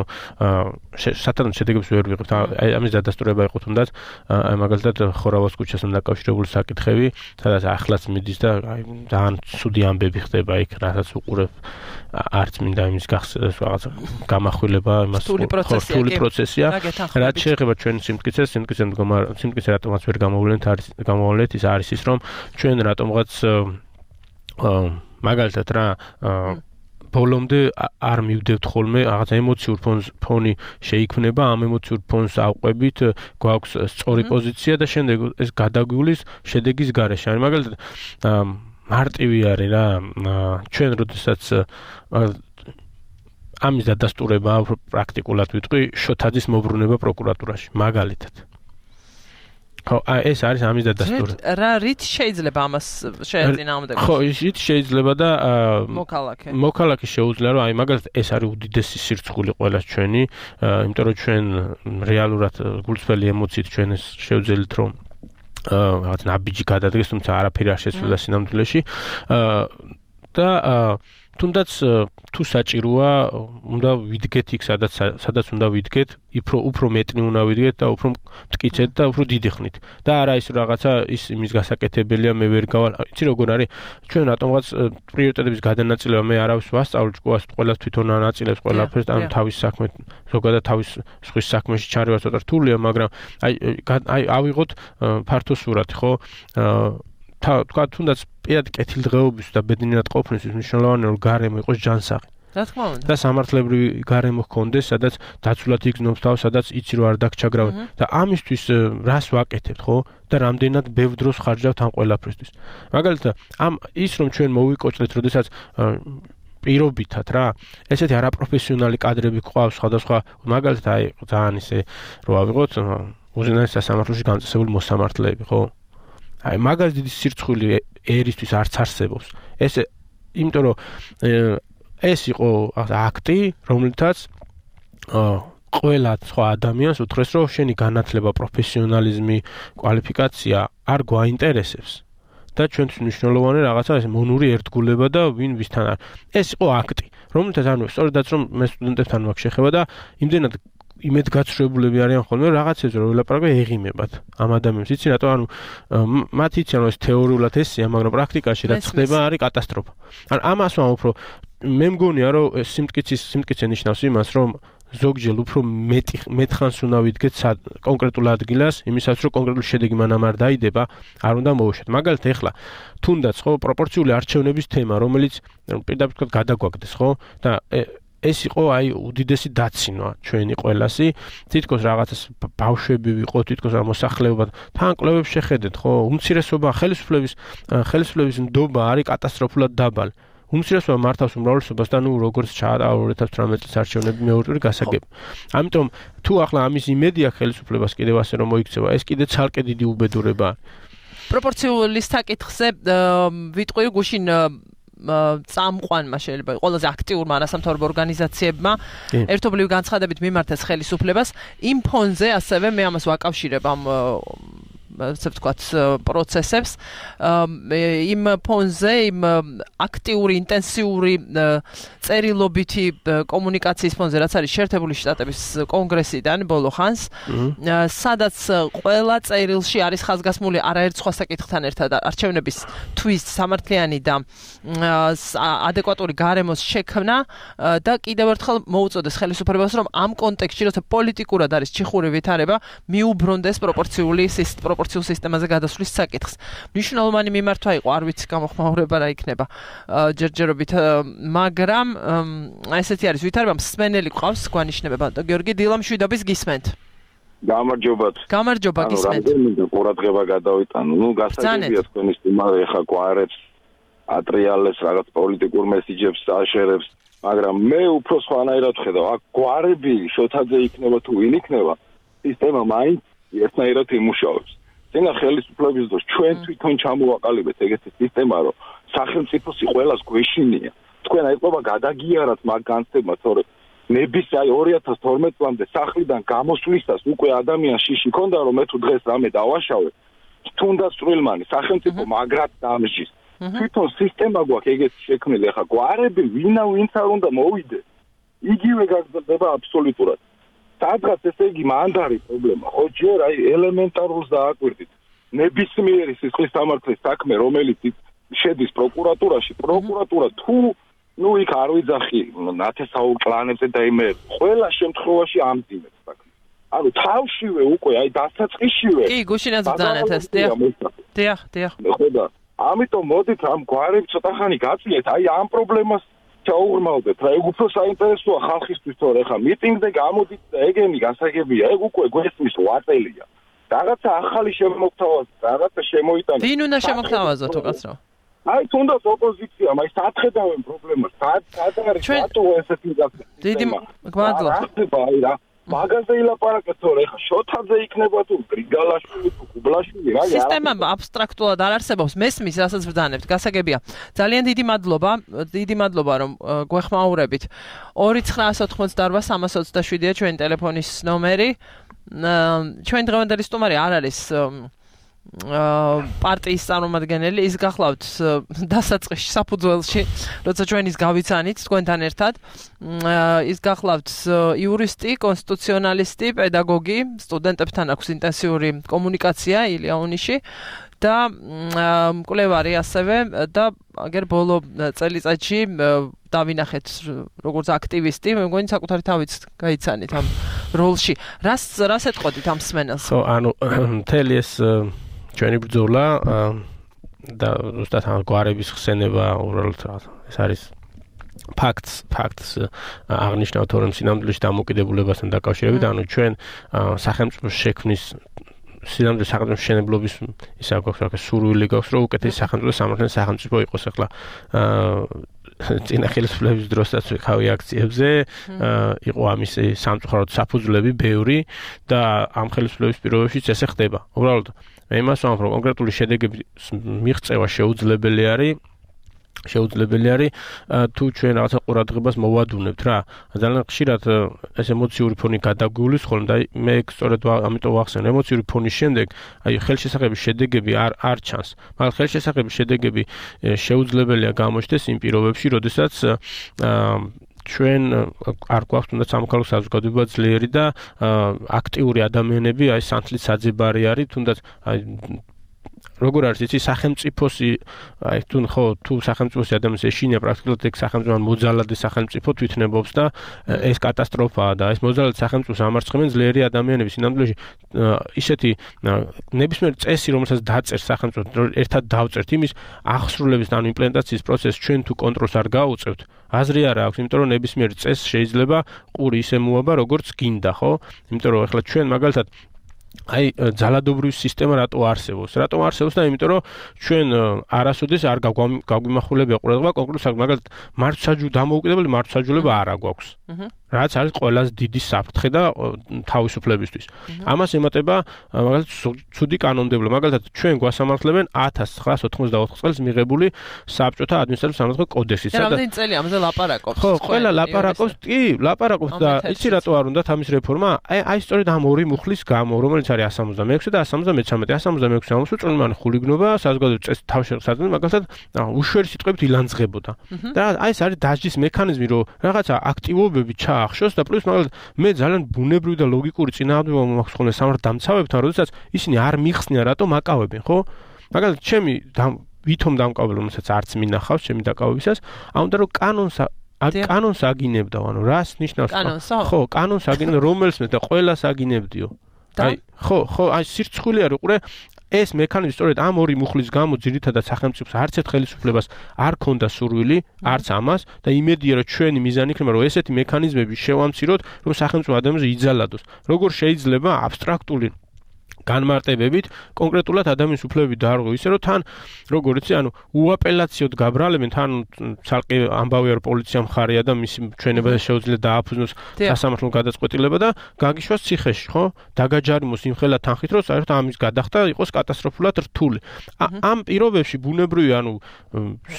სათანადო შედეგებს ვერ ვიღებთ. ამის დადასტურება იყო თუნდაც აი მაგალითად ხორავას ქუჩასთან დაკავშირებული საკითხები, სადაც ახლაც მიდის და აი ძალიან ცუდი ამბები ხდება იქ, რასაც უყურებ არც მინდა იმის რაღაც გამახვილება იმას რთული პროცესია. რაც შეეხება ჩვენ სიმტკიცეს, სიმტკიცე მდგომარ სიმტკიცე რატომაც ვერ გამოვლენთ არის გამოვლენთ ის არის ის რომ ჩვენ რატომღაც მაგალითად რა ბოლომდე არ მივდევთ ხოლმე რაღაც ემოციურ ფონი შეიქმნება, ამ ემოციურ ფონს ავყვებით, გვაქვს სწორი პოზიცია და შემდეგ ეს გადაგვივლის შედეგის გარეშე. არის მაგალითად მარტივი არის რა ჩვენ როდესაც ამის დადასტურება პრაქტიკულად ვიტყვი შოთაძის მობრუნება პროკურატურაში მაგალითად. ხო, ეს არის ამის დადასტური. რა რით შეიძლება ამას შეეწინააღმდეგოს? ხო, ისიც შეიძლება და მოქალაქე. მოქალაქე შეუძლია რომ აი მაგალითად ეს არის უდიდესი სირცხული ყველას ჩვენი, იმიტომ რომ ჩვენ რეალურად გულწრფელი ემოციით ჩვენ ეს შევძელით რომ რაღაც ნაბიჯი გადადგეს, თუმცა არაფერი არ შეცვლა სინამდვილეში და თუნდაც თუ საჭიროა უნდა ვიდგეთ იქ სადაც სადაც უნდა ვიდგეთ, უფრო უფრო მეტნი უნდა ვიდგეთ და უფრო მტკიცეთ და უფრო დიდი ხნით. და არა ის რაღაცა ის იმის გასაკეთებელია მე ვერ გავალ. იცი როგორ არის? ჩვენ რატომღაც პრიორიტეტების გადანაწილება მე არავის ვასწავლ ჭკუას ყველას თვითონ ანაწილებს ყველაფერს, ანუ თავის საქმე ზოგადად თავის სხვის საქმეში ჩარევა ცოტა რთულია, მაგრამ აი აი ავიღოთ ფართო სურათი, ხო? თა თქვა თუნდაც პირადი კეთილდღეობის და ბედნიერად ყოფნისთვის მნიშვნელოვანია რომ გარემო იყოს ჯანსაღი. რა თქმა უნდა. და სამართლებრივი გარემო ჰქონდეს, სადაც დაცულად იგრძნობს თავს, სადაც იცი რომ არ დაგჩაგრავენ. და ამისთვის რას ვაკეთებთ, ხო? და რამდენად ბევრ დროს ხარჯავთ ამ ყველაფრისთვის. მაგალითად, ამ ის რომ ჩვენ მოვიკოჭდეთ, როდესაც პირობითად რა, ესეთი არაპროფესიონალი კადრები გვყავს სხვადასხვა, მაგალითად აი ძალიან ისე რო ავიღოთ უზენაეს სასამართლოში განწესებული მოსამართლეები, ხო? აი მაგას დიდი სირცხვილი ერისთვის არც არსებობს. ეს იმიტომ რომ ეს იყო აქტი, რომლითაც ყველა სხვა ადამიანს უთხრეს, რომ შენი განათლება, პროფესიონალიზმი, კვალიფიკაცია არ გვაინტერესებს. და ჩვენთვის მნიშვნელოვანი რაღაცა ეს მონური ერთგულება და ვინ ვისთან არის. ეს იყო აქტი, რომლითაც ანუ სწორედაც რომ მე სტუდენტებთან მაქვს შეხება და იმდენად იმედგაცრუებულები არიან ხოლმე რაღაცებზე რომ ველაპარაკო ეღიმებათ ამ ადამიანებს. იცი რატო? ანუ მათ იციან რომ ეს თეორიულად ესეა, მაგრამ პრაქტიკაში რაც ხდება არის კატასტროფა. ანუ ამას ვამ უფრო მე მგონია რომ სიმტკიცის სიმტკიცე ნიშნავს იმას რომ ზოგჯერ უფრო მეტი მეტხანს უნდა ვიდგეთ კონკრეტულ ადგილას, იმისაც რომ კონკრეტული შედეგი მანამ არ დაიდება, არ უნდა მოვუშვათ. მაგალითად ეხლა თუნდაც ხო პროპორციული არჩევნების თემა, რომელიც პირდაპირ თქვა გადაგვაგდეს, ხო? და ეს იყო აი უდიდესი დაცინვა ჩვენი ყველასი. თითქოს რაღაცას ბავშვები ვიყო, თითქოს რა მოსახლეობა თან კლუბებს შეხედეთ, ხო? უმცირესობა ხელისუფლების ხელისუფლების ნდობა არის კატასტროფულად დაბალი. უმცირესობა მართავს უმრავლესობას და ნუ როგორც ჩაატარა ორი ათას თვრამეტი წლის არჩევნები მეორე ტური გასაგები. ამიტომ თუ ახლა ამის იმედი აქვს ხელისუფლებას კიდევ ასე რომ მოიქცევა, ეს კიდე ცალკე დიდი უბედურებაა. პროპორციული საკითხზე ვიტყვი გუშინ წამყვანმა შეიძლება ყველაზე აქტიურმა არასამთავრობო ორგანიზაციებმა ერთობლივი განცხადებით მიმართეს ხელისუფლებას იმ ფონზე ასევე მე ამას ვაკავშირებ ამ ასე ვთქვათ პროცესებს იმ ფონზე იმ აქტიური ინტენსიური წერილობითი კომუნიკაციის ფონზე რაც არის შეერთებული შტატების კონგრესიდან ბოლო ხანს სადაც ყველა წერილში არის ხაზგასმული არაერთ სხვა საკითხთან ერთად არჩევნების თვის სამართლიანი და ადეკვატური გარემოს შექმნა და კიდევ ერთხელ მოუწოდეს ხელისუფლებას რომ ამ კონტექსტში როცა პოლიტიკურად არის ჩიხური ვითარება მიუბრუნდეს პროპორციული პროპორციულ სისტემაზე გადასვლის საკითხს. მნიშვნელოვანი მიმართვა იყო, არ ვიცი გამოხმაურება რა იქნება ჯერჯერობით, მაგრამ ესეთი არის ვითარება, მსმენელი ყავს გვანიშნებება. გიორგი დილამშვიდობის გისმენთ. გამარჯობათ. გამარჯობა გისმენთ. ანუ რამდენი ყურადღება გადავიტანო. ნუ გასაგებია თქვენი სტუმარი ეხა გვარებს ატრიალებს რაღაც პოლიტიკურ მესიჯებს აშერებს, მაგრამ მე უფრო სხვანაირად ხედავ. აქ გვარები შოთაძე იქნება თუ ვინ იქნება, სისტემა მაინც ერთნაირად იმუშავებს. წინა ხელისუფლების დროს ჩვენ თვითონ ჩამოვაყალიბეთ ეგეთი სისტემა, რომ სახელმწიფოსი ყველას გვეშინია. თქვენ აიყვება გადაგიარათ მაგ განცდებმა, თორე ნების აი ორი ათას თორმეტ წლამდე სახლიდან გამოსვლისას უკვე ადამიანს შიში ქონდა, რომ მე თუ დღეს რამე დავაშავე, თუნდაც წვრილმანი სახელმწიფო მაგრად დამსჯის. თვითონ სისტემა გვაქვს ეგეთი შექმნილი, ახლა გვარები ვინა ვინც არ უნდა მოვიდეს. იგივე გაგრძელდება აბსოლუტურად. სადღაც ესე იგი მანდარი პრობლემა, ხო ჯერ აი ელემენტარულს დააკვირდით. ნებისმიერი სისხლის სამართლის საქმე, რომელიც შედის პროკურატურაში, პროკურატურა თუ ნუ იქ არ ვიძახი ნათესაურ კლანებზე და იმე ყველა შემთხვევაში ამძიმებს საქმეს. ანუ თავშივე უკვე აი დასაწყისშივე. კი, გუშინაც ბრძანეთ ეს, დიახ. დიახ, დიახ. ხო და ამიტომ მოდით ამ გვარებს ცოტა ხანი გაწიეთ, აი ამ პრობლემას ჩაუღრმავდეთ რა, ეგ უფრო საინტერესოა ხალხისთვის, თორე ხა მიტინგზე გამოდით და ეგენი გასაგებია, ეგ უკვე გვესმის ვაწელია. რაღაცა ახალი შემოგთავაზ, რაღაცა შემოიტანეთ. ვინ უნდა შემოგთავაზოთ უკაცრავ? აი თუნდაც ოპოზიცია, მაინც ათხედავენ პრობლემას, სად სად არის რატო ესეთი გასაგებია? დიდი მადლობა. რა ხდება აი რა? მაგაზე ილაპარაკეთ, თორე ეხა შოთაძე იქნება თუ გრიგალაშვილი თუ კუბლაშვილი, რა სისტემა აბსტრაქტულად არ არსებობს, მესმის, რასაც ვძანებთ, გასაგებია. ძალიან დიდი მადლობა, დიდი მადლობა, რომ გვეხმაურებით. ორი ცხრაასი ოთხმოცდაორვა სამას ოცდაშვიდია ჩვენი ტელეფონის ნომერი. ჩვენ დღევანდელი სტუმარი არ არის პარტიის წარმომადგენელი, ის გახლავთ დასაწყისში საფუძველში, როცა ჩვენ ის გავიცანით თქვენთან ერთად. ის გახლავთ იურისტი, კონსტიტუციონალისტი, პედაგოგი, სტუდენტებთან აქვს ინტენსიური კომუნიკაცია ილიანონიში და მკვლევარი ასევე და აგერ ბოლო წელიწადში დავინახეთ როგორც აქტივისტი, მე მგონი საკუთარი თავიც გაიცანით ამ როლში. რას რას ეთყოდით ამ სმენელს? ხო, ანუ მთელი ეს ჩვენი ბრძოლა და ზუსტად ამ გვარების ხსენება უბრალოდ ეს არის ფაქტს ფაქტს აღნიშნავთ რომ სინამდვილეში დამოკიდებულებასთან დაკავშირებით, ანუ ჩვენ სახელმწიფოს შექმნის სინამდვილეში სახელმწიფოს მშენებლობის ისა გვაქვს რა სურვილი გვაქვს რომ უკეთესი სახელმწიფო სამართლის სახელმწიფო იყოს. ახლა წინა ხელისუფლების დროსაც ვიყავი აქციებზე, იყო ამის სამწუხაროდ საფუძვლები ბევრი და ამ ხელისუფლების პირობებშიც ესე ხდება. უბრალოდ მე იმას ვამბობ, რომ კონკრეტული შედეგების მიღწევა შეუძლებელი არის შეუძლებელი არის თუ ჩვენ რაღაცა ყურადღებას მოვადუნებთ რა. ძალიან ხშირად ეს ემოციური ფონი გადაგვივლის ხოლმე და მე სწორედ ამიტომ ვახსენე, ემოციური ფონის შემდეგ აი ხელშესახების შედეგები არ არ ჩანს. მაგრამ ხელშესახების შედეგები შეუძლებელია გამოჩნდეს იმ პირობებში, როდესაც ჩვენ არ გვაქვს თუნდაც სამოქალაქო საზოგადოება ძლიერი და აქტიური ადამიანები, აი სანთლის საძებარი არის, თუნდაც აი როგორ არის იცი სახელმწიფოს აი თუ ხო თუ სახელმწიფოს ადამიანს ეშინია პრაქტიკულად ეგ სახელმწიფო მოძალადე სახელმწიფო თვითნებობს და ეს კატასტროფაა და ეს მოძალადე სახელმწიფოს ამარცხებენ ძლიერი ადამიანები სინამდვილეში ისეთი ნებისმიერ წესი რომელსაც დაწერს სახელმწიფო ერთად დავწერთ იმის აღსრულების ან იმპლემენტაციის პროცესს ჩვენ თუ კონტროლს არ გაუწევთ აზრი არ აქვს იმიტომ რომ ნებისმიერ წესს შეიძლება ყური ისე მოაბა როგორც გინდა ხო იმიტომ რომ ახლა ჩვენ მაგალითად აი ძალადობრივი სისტემა რატო არსებობს? რატო არსებობს და იმიტომ რომ ჩვენ არასოდეს არ გაგვიმახვილებია ყურადღება კონკრეტულ საკითხს, მაგალითად მართლმსაჯულების დამოუკიდებელი მართლმსაჯულება არ აგვაქვს. რაც არის ყველაზე დიდი საფრთხე და თავისუფლებისთვის. ამას ემატება მაგალითად ცუდი კანონმდებლობა. მაგალითად ჩვენ გვასამართლებენ ათას ცხრაასი ოთხმოცდაოთხ წელს მიღებული საბჭოთა ადმინისტრაციულ სამართლებრივ კოდექსი. რამდენი წელი ამაზე ლაპარაკობს? ხო, ყველა ლაპარაკობს, კი, ლაპარაკობს და იცი რატო არ უნდა ამის რეფორმა? აი, აი სწორედ ამ ორი მუხლის გამო, რომელიც არის εκατს ორმოცდამეექვსე და εκατს ორმოცდამეცხრამეტე. εκατს ორმოცდამეექვსე ამას უწარმოებენ ხულიგნობა, საზოგადოების წესით თავშესაცდელი, მაგალითად, უშვერი სიტყვებით ილანძღებოდა. და აი ეს არის დასჯის მექანიზმი, რომ რაღაცა აქტივობები ჩაახშოს და პლუს მაგალითად მე ძალიან ბუნებრივი და ლოგიკური წინააღმდეგობა მაქვს ხოლმე სამართალდამცავებთან, როდესაც ისინი არ მიხსნიან, რატომ აკავებენ, ხო? მაგალითად, ჩემი ვითომ დამკავებელი, რომელსაც არც მინახავს ჩემი დაკავებისას, ამ უნდა რომ კანონს კანონს აგინებდაო, ანუ რას ნიშნავს? ხო, კანონს აგინებდა, რომელს მე და ყველას აგინებდიო. აი, ხო, ხო, აი სირცხვილი არის, უყურე ეს მექანიზმი სწორედ ამ ორი მუხლის გამო ძირითადად სახელმწიფოს არც ერთ ხელისუფლებას არ ქონდა სურვილი, არც ამას და იმედია რომ ჩვენი მიზანი იქნება რომ ესეთი მექანიზმები შევამციროთ, რომ სახელმწიფო ადამიანზე იძალადოს. როგორ შეიძლება აბსტრაქტული განმარტებებით კონკრეტულად ადამიანის უფლებები დაარღვევ ისე რომ თან როგორ იცი ანუ უაპელაციოდ გაბრალებენ თან ცალკე ამბავია რომ პოლიცია მხარეა და მისი ჩვენება შეუძლია დააფუძნოს სასამართლო გადაწყვეტილება და გაგიშვას ციხეში ხო დაგაჯარიმოს იმხელა თანხით რომ საერთოდ ამის გადახდა იყოს კატასტროფულად რთული ამ პირობებში ბუნებრივი ანუ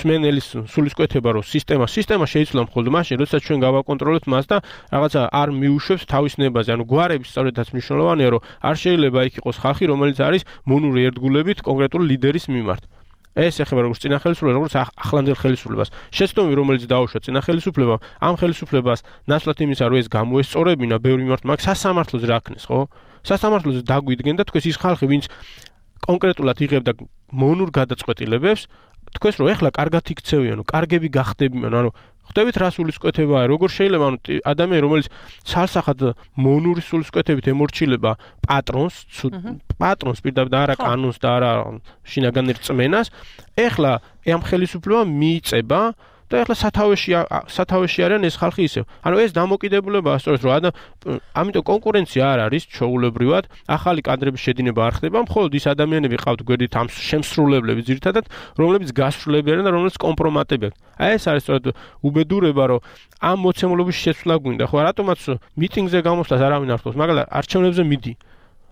სმენელის სულისკვეთება რომ სისტემა სისტემა შეიცვლა მხოლოდ მაშინ როდესაც ჩვენ გავაკონტროლებთ მას და რაღაცა არ მიუშვებს თავის ნებაზე ანუ გვარების სწორედაც მნიშვნელოვანია რომ არ შეიძლება იქ იყოს ხალხი რომელიც არის მონური ერთგულებით კონკრეტული ლიდერის მიმართ. ეს ეხება როგორც წინა ხელისუფლებას, როგორც ახლანდელ ხელისუფლებას. შეცდომი რომელიც დაუშვა წინა ხელისუფლებამ, ამ ხელისუფლებას ნაცვლად იმისა რომ ეს გამოესწორებინა ბევრი მიმართ მაგ სასამართლოზე რაქნეს, ხო? სასამართლოზე დაგვიდგენ და თქვენ ის ხალხი ვინც კონკრეტულად იღებდა მონურ გადაწყვეტილებებს, თქვენს რომ ეხლა კარგად იქცევიანო, კარგები გახდებიან, ანუ ხვდებით რა სულისკვეთებაა, როგორ შეიძლება ანუ ადამიანი რომელიც ცალსახად მონური სულისკვეთებით ემორჩილება პატრონს, პატრონს პირდაპირ და არა კანონს და არა შინაგან რწმენას, ეხლა ამ ხელისუფლებამ მიიწება და ეხლა სათავეში სათავეში არიან ეს ხალხი ისევ. ანუ ეს დამოკიდებულებაა სწორედ რომ ადა ამიტომ კონკურენცია არ არის ჩაულებრივად, ახალი კადრების შედინება არ ხდება, მხოლოდ ის ადამიანები ყავთ გვერდით ამ შემსრულებლები ძირითადად, რომლებიც გასრულებიან და რომლებიც კომპრომატებიან. აი ეს არის სწორედ უბედურება, რომ ამ მოცემულობის შეცვლა გვინდა, ხო, რატომაც მიტინგზე გამოსვლას არავინ არ თხოვს, მაგრამ არჩევნებზე მიდი.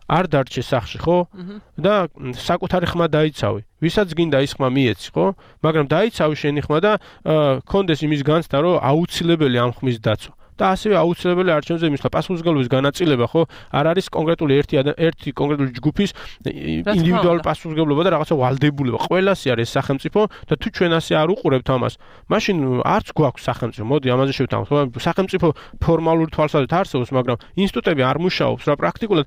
არ დარჩე სახში, ხო? და საკუთარი ხმა დაიცავი. ვისაც გინდა ის ხმა მიეცი, ხო? მაგრამ დაიცავი შენი ხმა და კონდეს იმის განცდა, რომ აუცილებელი ამ ხმის დაცვა. და ასევე აუცილებელი არჩევნებზე მისვლა პასუხისმგებლობის განაწილება, ხო? არ არის კონკრეტული ერთი ერთი კონკრეტული ჯგუფის ინდივიდუალური პასუხისმგებლობა და რაღაცა ვალდებულება. ყველასი არის სახელმწიფო და თუ ჩვენ ასე არ უყურებთ ამას, მაშინ არც გვაქვს სახელმწიფო. მოდი ამაზე შევთანხმდით, ხო? სახელმწიფო ფორმალური თვალსაზრისით არსებობს, მაგრამ ინსტიტუტები არ მუშაობს რა პრაქტიკულად.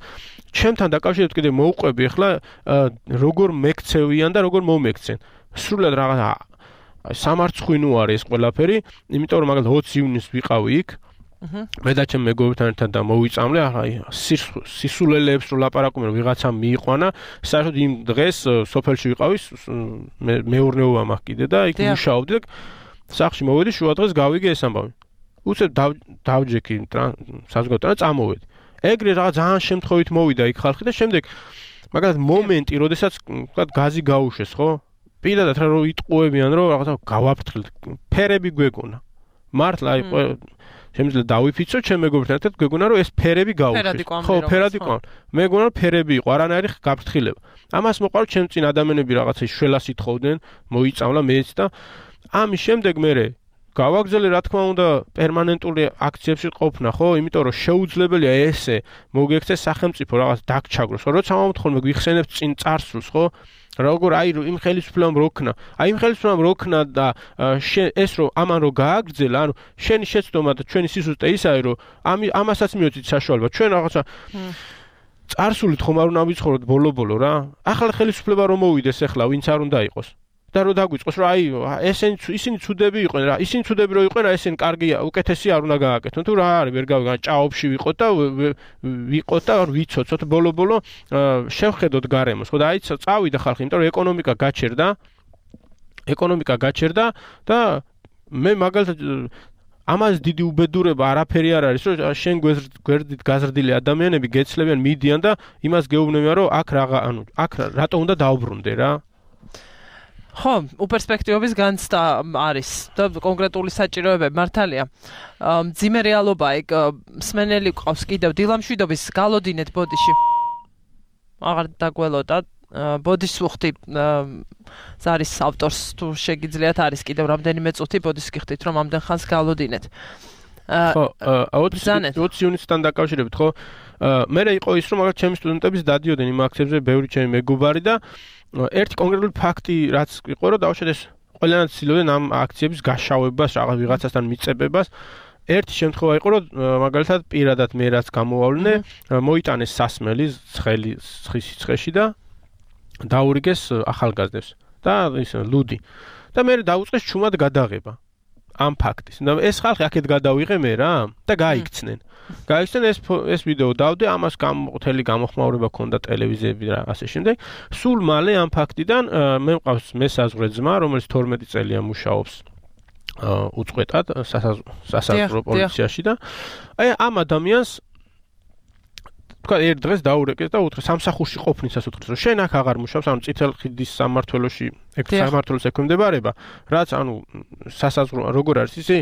ჩემთან დაკავშირებით კიდე მოვყვები ახლა როგორ მეკცევიან და როგორ მომექცენ. სრულად რაღაცა სამარცხვინო არის ეს ყველაფერი, იმიტომ რომ მაგალითად ოცი ივნისს ვიყავი იქ. მე და ჩემ მეგობრებთან ერთად და მოვიწამლე, ახლა სისულელეებს რო ლაპარაკობენ, რომ ვიღაცამ მიიყვანა, საერთოდ იმ დღეს სოფელში ვიყავი, მეურნეობა მაქვს კიდე და იქ მუშაობდი და სახლში მოვედი, შუა დღეს გავიგე ეს ამბავი. უცებ დავჯექი საზოგადოებთან და წამოვედი. ეგრე რაღაც ძალიან შემთხვევით მოვიდა იქ ხალხი და შემდეგ მაგალითად მომენტი, როდესაც ვთქვათ გაზი გაუშვეს, ხო? პირადად რა რო იტყუებიან, რომ რაღაცა გავაფრთხილდ, ფერები გვეგონა. მართლა აი შემიძლია დავიფიცო ჩემ მეგობრებთან ერთად გვეგონა რომ ეს ფერები გაუშვეს. ხო, ფერად იყო. მეგონა რომ ფერები იყო, არანაირი გაფრთხილება. ამას მოყავ ჩემ წინ ადამიანები რაღაცა შველას ითხოვდნენ, მოიწამლა მეც და ამის შემდეგ მე გავაგზავნე რა თქმა უნდა პერმანენტული აქციებში ყოფნა, ხო? იმიტომ რომ შეუძლებელია ესე მოგექცეს სახელმწიფო რაღაც დაგჩაგროს. როცა მომთხოვნ გვიხსენებთ წინ წარსულს, ხო? როგორ აი იმ ხელისუფლებამ როქნა, აი იმ ხელისუფლებამ როქნა და ეს რომ ამან რო გააგრძელა, ანუ შენი შეცდომა და ჩვენი სიზუსტე ისაა, რომ ამასაც მიოცით საშუალება. ჩვენ რაღაცა წარსულით ხომ არ უნდა ვიცხოვროთ ბოლო-ბოლო რა. ახლა ხელისუფლება რომ მოვიდეს ახლა, ვინც არ უნდა იყოს. და რო დაგვიწყოს რომ აი ესენი ისინი ცუდები იყვნენ რა, ისინი ცუდები რო იყვნენ, ესენი კარგია, უკეთესი არ უნდა გააკეთონ. თუ რა არის, ვერ გავიგან, ჭაობში ვიყოთ და ვიყოთ და ვიცოცოთ ბოლო-ბოლო შევხედოთ გარემოს. ხო და აი წავიდა ხალხი, იმიტომ რომ ეკონომიკა გაჩერდა. ეკონომიკა გაჩერდა და მე მაგალითად ამას დიდი უბედურება არაფერი არ არის, რომ შენ გვერდით გაზრდილი ადამიანები გეცლებიან, მიდიან და იმას გეუბნებიან, რომ აქ რაღა, ანუ აქ რატო უნდა დაუბრუნდე რა? ხო, უპერსპექტივების განცდა არის და კონკრეტული საჭიროებები მართალია. მძიმე რეალობა ეგ მსმენელი ყავს კიდევ დილამშვიდობის გალოდინეთ ბოდიში. აღარ დაგველოდა ბოდის ვუხდი ზარის ავტორს თუ შეგიძლიათ არის კიდევ რამდენიმე წუთი ბოდის გიხდით რომ ამდენ ხანს გალოდინეთ. ხო, ოცი ივნისთან დაკავშირებით, ხო? მე იყო ის რომ მაგალითად ჩემი სტუდენტების დადიოდნენ იმ აქციებზე ბევრი ჩემი მეგობარი და ერთი კონკრეტული ფაქტი რაც იყო რომ დავუშვათ ეს ყველანაირად ცდილობდნენ ამ აქციების გაშავებას, რაღაც ვიღაცასთან მიწებებას. ერთი შემთხვევა იყო რომ მაგალითად პირადად მე რაც გამოვავლინე, მოიტანეს სასმელი ცხელი ცხის სიცხეში და დაურიგეს ახალგაზრდებს და ის ლუდი. და მე დაუწყეს ჩუმად გადაღება ამ ფაქტის. და ეს ხალხი აქეთ გადავიღე მე რა და გაიქცნენ. გაიქცნენ ეს ეს ვიდეო დავდე, ამას გამოთელი გამოხმაურება ქონდა ტელევიზიები და ასე შემდეგ. სულ მალე ამ ფაქტიდან მე მყავს მესაზღვრე ძმა, რომელიც თორმეტი წელია მუშაობს უწყვეტად სასაზღვრო პოლიციაში და აი ამ ადამიანს თქვა ერთ დღეს დაურეკეს და უთხრეს სამსახურში ყოფნისას უთხრეს რომ შენ აქ აღარ მუშაობს, ანუ წითელ ხიდის სამმართველოში ეგ სამმართველოს ექვემდებარება, რაც ანუ სასაზღვრო როგორ არის ისე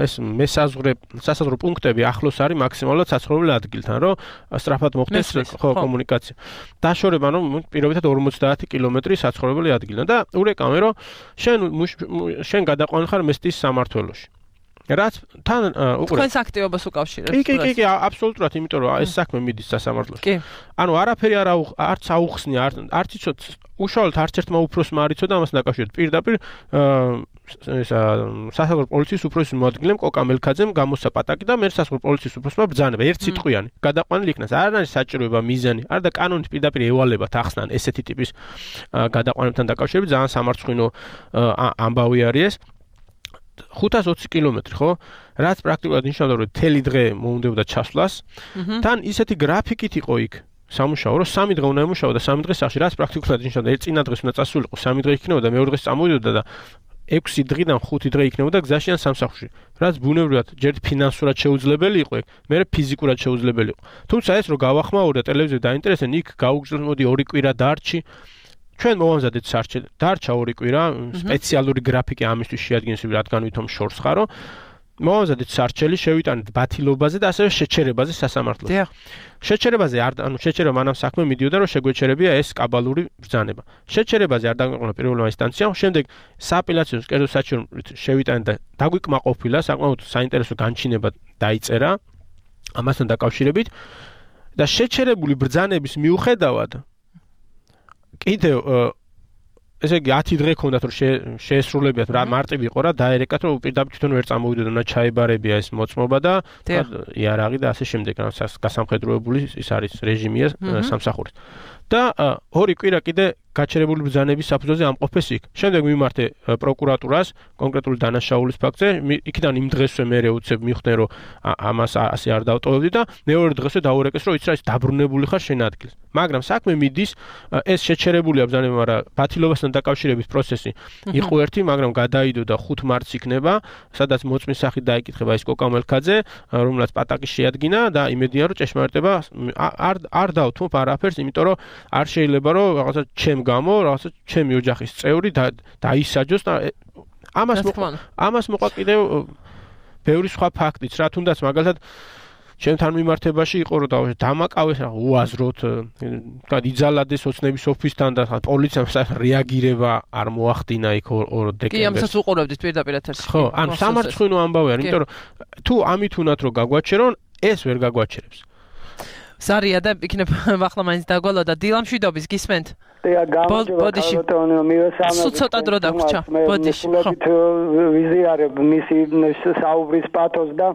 ეს მესაზღვრე სასაზღვრო პუნქტები ახლოს არის მაქსიმალურად საცხოვრებელ ადგილთან, რომ სწრაფად მოხდეს ხო კომუნიკაცია. დაშორება რომ პირობითად ორმოცდაათი კილომეტრი საცხოვრებელი ადგილიდან და ურეკავენ რომ შენ შენ გადაყვანილ ხარ მესტის სამმართველოში. რაც თან უკვე თქვენს აქტივობას უკავშირებს. კი, კი, კი, აბსოლუტურად, იმიტომ რომ ეს საქმე მიდის სასამართლოში. კი. ანუ არაფერი არ არც აუხსნია, არც იცოდ უშუალოდ არც ერთმა უფროსმა არ იცოდა ამას დაკავშირებით. პირდაპირ ესა სასამართლო პოლიციის უფროსის მოადგილემ კოკა მელქაძემ გამოსცა პატაკი და მე სასამართლო პოლიციის უფროსმა ბრძანება ერთ სიტყვიანი. გადაყვანილი იქნას. არ არის საჭიროება მიზანი, არ და კანონით პირდაპირ ევალებათ ახსნან ესეთი ტიპის გადაყვანებთან დაკავშირებით ძალიან სამარცხვინო ამბავი არის ეს. ხუთას ოცი კილომეტრი, ხო? რაც პრაქტიკულად ნიშნავდა, რომ თელი დღე მოუნდებოდა ჩასვლას. თან ისეთი გრაფიკით იყო იქ სამუშაო, რომ სამი დღე უნდა ემუშაო და სამი დღე სახში, რაც პრაქტიკულად ნიშნავდა, ერთ წინა დღეს უნდა წასულიყო, სამი დღე იქნებოდა და მეორე დღეს წამოვიდოდა და ექვსი დღიდან ხუთი დღე იქნებოდა გზაში ან სამსახურში. რაც ბუნებრივად ჯერ ფინანსურად შეუძლებელი იყო, მერე ფიზიკურად შეუძლებელი იყო. თუმცა ეს რო გავახმაურდა ტელევიზიაზე დაინტერესდნენ, იქ გაუგზავნოთ მოდი ორი კვირა დარჩი. ჩვენ მოვამზადეთ სარჩელი. დარჩა ორი კვირა, სპეციალური გრაფიკი ამისთვის შეადგენს, რადგან ვითომ შორს ხარო. მოვამზადეთ სარჩელი, შევიტანეთ ბათილობაზე და ასევე შეჩერებაზე სასამართლოში. დიახ. შეჩერებაზე არ ანუ შეჩერება მანამ საქმე მიდიოდა, რომ შეგვეჩერებია ეს კაბალური ბრძანება. შეჩერებაზე არ დაგვიყვანა პირველმა ინსტანციამ, შემდეგ სააპელაციო კერძო საჩუქრით შევიტანეთ და დაგვიკმაყოფილა, საკმაოდ საინტერესო განჩინება დაიწერა ამასთან დაკავშირებით და შეჩერებული ბრძანების მიუხედავად კიდევ ესე იგი ათი დღე ქონდათ რომ შეესრულებიათ რა მარტივი იყო რა დაერეკათ რომ პირდაპირ თვითონ ვერ წამოვიდოდა და ჩაებარებია ეს მოწმობა და იარაღი და ასე შემდეგ რა გასამხედროებული ის არის რეჟიმია სამსახურის და ორი კვირა კიდე გაჩერებული ბრძანების საფუძველზე ამყოფეს იქ. შემდეგ მიმართე პროკურატურას კონკრეტული დანაშაულის ფაქტზე, იქიდან იმ დღესვე მე უცებ მივხვდნენ რომ ამას ასე არ დავტოვებდი და მეორე დღესვე დაურეკეს რომ იცი რა ის დაბრუნებული ხარ შენ ადგილს. მაგრამ საქმე მიდის ეს შეჩერებულია ბრძანება, მაგრამ ბათილობასთან დაკავშირების პროცესი იყო ერთი, მაგრამ გადაიდო და ხუთ მარტს იქნება, სადაც მოწმის სახით დაიკითხება ის კოკა მელქაძე, რომელსაც პატაკი შეადგინა და იმედია რომ ჭეშმარიტება არ არ დავთმობ არაფერს, იმიტომ რომ არ შეიძლება რომ რაღაცა ჩემ გამო რაღაცა ჩემი ოჯახის წევრი დაისაჯოს და ამას ამას მოყვა კიდევ ბევრი სხვა ფაქტიც რა თუნდაც მაგალითად ჩემთან მიმართებაში იყო რომ დამაკავეს რა უაზროდ თქვა იძალადეს ოცნების ოფისთან და პოლიციამ რეაგირება არ მოახდინა იქ ორ დეკემბერს. კი, ამასაც უყურებდით პირდაპირ ეთერში. ხო, ანუ სამარცხვინო ამბავი არის, იმიტომ რომ თუ ამით უნათ რომ გაგვაჩერონ, ეს ვერ გაგვაჩერებს. ზარია და იქნება ახლა მაინც დაგვალო და დილამშვიდობის გისმენთ? და გამარჯობა ბატონო მივესალმებ. ცოტა დრო დაგვრჩა. ბოდიში. ხო. ვიზიარებ მისი საუბრის პათოს და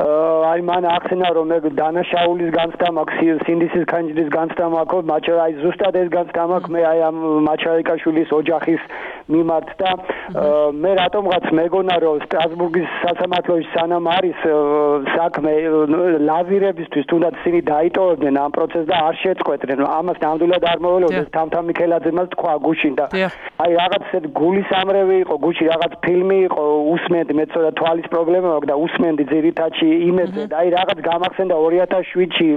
აი მან ახსენა რომ მე დანაშაულის განცდა მაქვს, სინდისის ქანჯრის განცდა მაქვს, მაჩა აი ზუსტად ეს განცდა მაქვს მე აი ამ მაჩაიკაშვილის ოჯახის მიმართ და მე რატომღაც მეგონა რომ სტრასბურგის სასამართლოში სანამ არის საქმე ლავირებისთვის თუნდაც ისინი დაიტოვებდნენ ამ პროცესს და არ შეწყვეტდნენ. ამას ნამდვილად არ მოველოდეს თამთა მიქელაძემაც თქვა გუშინ და აი რაღაც ესეთ გულისამრევი იყო გუში რაღაც ფილმი იყო უსმენდი მე ცოტა თვალის პრობლემა აქვს და უსმენდი ძირითადში იმედზე და აი რაღაც გამახსენდა ორი ათას შვიდში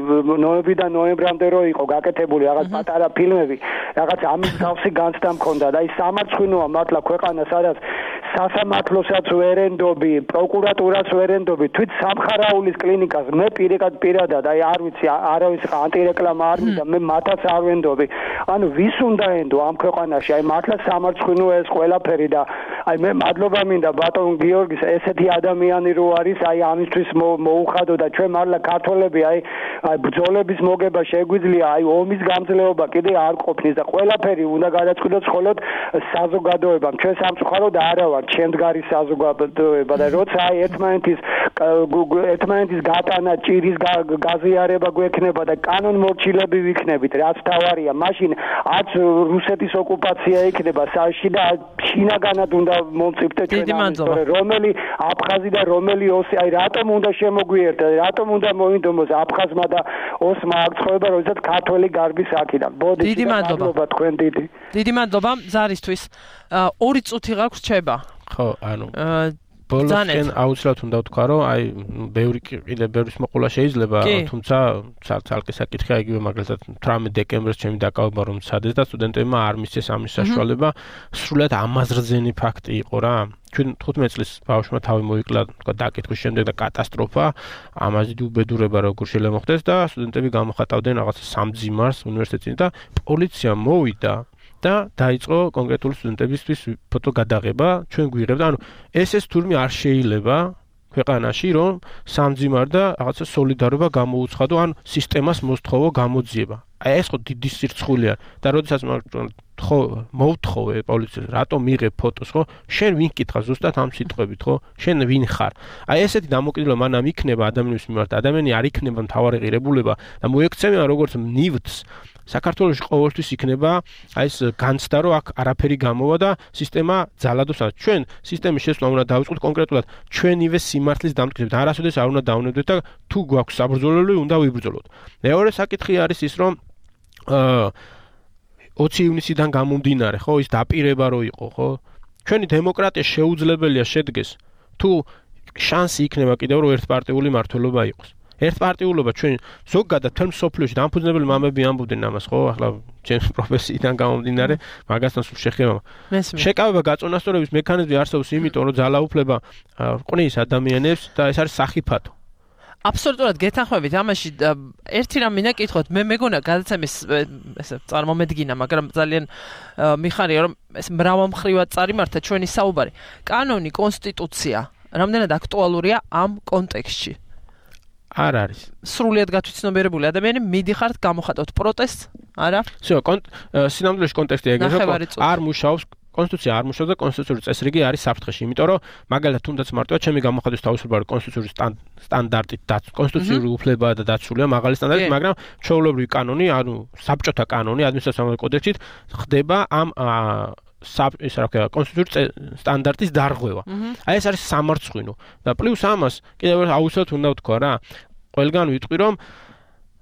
ნოემბრიდან ნოემბრამდე რო იყო გაკეთებული რაღაც პატარა ფილმები რაღაც ამის გავსი განცდა მქონდა და აი სამარცხვინოა მართლა ქვეყანა სადაც სასამართლოსაც ვერენდობი პროკურატურას ვერენდობი თვით სამხარაულის კლინიკას მე პირადად პირადად აი არ ვიცი არავის ანტირეკლამა არ მინდა მე მათაც არ ვენდობი ანუ ვის უნდა ენდო ამ ქვეყანაში აი მართლა სამარცხვინო ეს ყველაფერი და აი მე მადლობა მინდა ბატონ გიორგის ესეთი ადამიანი რო არის აი ამისთვის მოუხადო და ჩვენ მართლა ქართველები აი აი ბრძოლების მოგება შეგვიძლია აი ომის გამძლეობა კიდე არ ყოფნის და ყველაფერი უნდა გადაწყვიტოს მხოლოდ საზოგადოებამ ჩვენ სამწუხაროდ არა ვარ ჩემდგარი საზოგადოება და როცა აი ერთმანეთის ერთმანეთის გატანა ჭირის გაზიარება გვექნება და კანონმორჩილები ვიქნებით რაც თავარია მაშინ არც რუსეთის ოკუპაცია იქნება საში და შინაგანად უნდა მომწიფდეთ ჩვენ რომელი აფხაზი და რომელი ოსი აი რატომ უნდა შემოგვიერთდა რატომ უნდა მოინდომოს აფხაზმა და ოსმა აღწევება როდესაც ქართველი გარბის აქიდან ბოდი დიდი მადლობა თქვენ დიდი დიდი მადლობა ზარისთვის ორი წუთი გაქვს რჩება ხო ანუ ბოლოსკენ აუცილებლად უნდა ვთქვა რომ აი ბევრი კიდე ბევრის მოყოლა შეიძლება თუმცა ცალკე საკითხია იგივე მაგალითად თვრამეტ დეკემბერს ჩემი დაკავება რომ მცადეს და სტუდენტებმა არ მისცეს ამის საშუალება სრულად ამაზრზენი ფაქტი იყო რა ჩვენ თხუთმეტ წლის ბავშვმა თავი მოიკლა თქვა დაკითხვის შემდეგ და კატასტროფა ამაზე უბედურება როგორ შეიძლება მოხდეს და სტუდენტები გამოხატავდნენ რაღაც სამძიმარს უნივერსიტეტში და პოლიცია მოვიდა და დაიწყო კონკრეტული სტუდენტებისთვის ფოტო გადაღება ჩვენ გვიღებდა ანუ ეს ეს თურმე არ შეიძლება ქვეყანაში რომ სამძიმარ და რაღაცა სოლიდარობა გამოუცხადო ან სისტემას მოსთხოვო გამოძიება აი ეს ხო დიდი სირცხულია და როდესაც ხო მოვთხოვე პოლიციას რატომ მიიღებ ფოტოს ხო შენ ვინ კითხა ზუსტად ამ სიტყვებით ხო შენ ვინ ხარ აი ესეთი დამოკიდებულება მანამ იქნება ადამიანის მიმართ ადამიანი არ იქნება მთავარი ღირებულება და მოექცევიან როგორც ნივთს საქართველოში ყოველთვის იქნება აი ეს განცდა რომ აქ არაფერი გამოვა და სისტემა ძალადობს ჩვენ სისტემის შესვლა უნდა დავიწყოთ კონკრეტულად ჩვენივე სიმართლის დამტკიცებით არასოდეს არ უნდა დავნებდეთ და თუ გვაქვს საბრძოლელი უნდა ვიბრძოლოთ მეორე საკითხი არის ის რომ ოცი ივნისიდან გამომდინარე ხო ის დაპირება რო იყო ხო ჩვენი დემოკრატია შეუძლებელია შედგეს თუ შანსი იქნება კიდევ რომ ერთპარტიული მმართველობა იყოს. ერთპარტიულობა ჩვენ ზოგადად თემ სოფლიოში დამფუძნებელი მამები ამბობდნენ ამას, ხო? ახლა ჩემს პროფესიიდან გამომდინარე, მაგასთან სულ შეხება. შეკავება გაწონასწორების მექანიზმი არსებობს იმიტომ, რომ ძალაუფლება ყნის ადამიანებს და ეს არის სახიფათო. აბსოლუტურად გეთანხმებით ამაში ერთი რამ მინდა კითხოთ მე მეგონა გადაცემის ესე წარმომედგინა მაგრამ ძალიან მიხარია რომ ეს მრავალმხრივად წარიმართა ჩვენი საუბარი კანონი კონსტიტუცია რამდენად აქტუალურია ამ კონტექსტში არ არის სრულიად გათვითცნობიერებული ადამიანი მიდიხართ გამოხატოთ პროტესტს არა всё სინამდვილეში კონტექსტი ეგრეა არ მუშაობს კონსტიტუცია არ მუშაობს და კონსტიტუციური წესრიგი არის საფრთხეში იმიტომ რომ მაგალითად თუნდაც მარტო ჩემი გამოხატვის თავისუფლება კონსტიტუციური სტანდარტით და კონსტიტუციური უფლება და დაცულია მაღალი სტანდარტით მაგრამ ჩვეულებრივი კანონი ანუ საბჭოთა კანონი ადმინისტრაციული კოდექსით ხდება ამ ის რა ქვია კონსტიტუციური სტანდარტის დარღვევა აი ეს არის სამარცხვინო და პლუს ამას კიდევ აუცილებლად უნდა ვთქვა რა ყველგან ვიტყვი რომ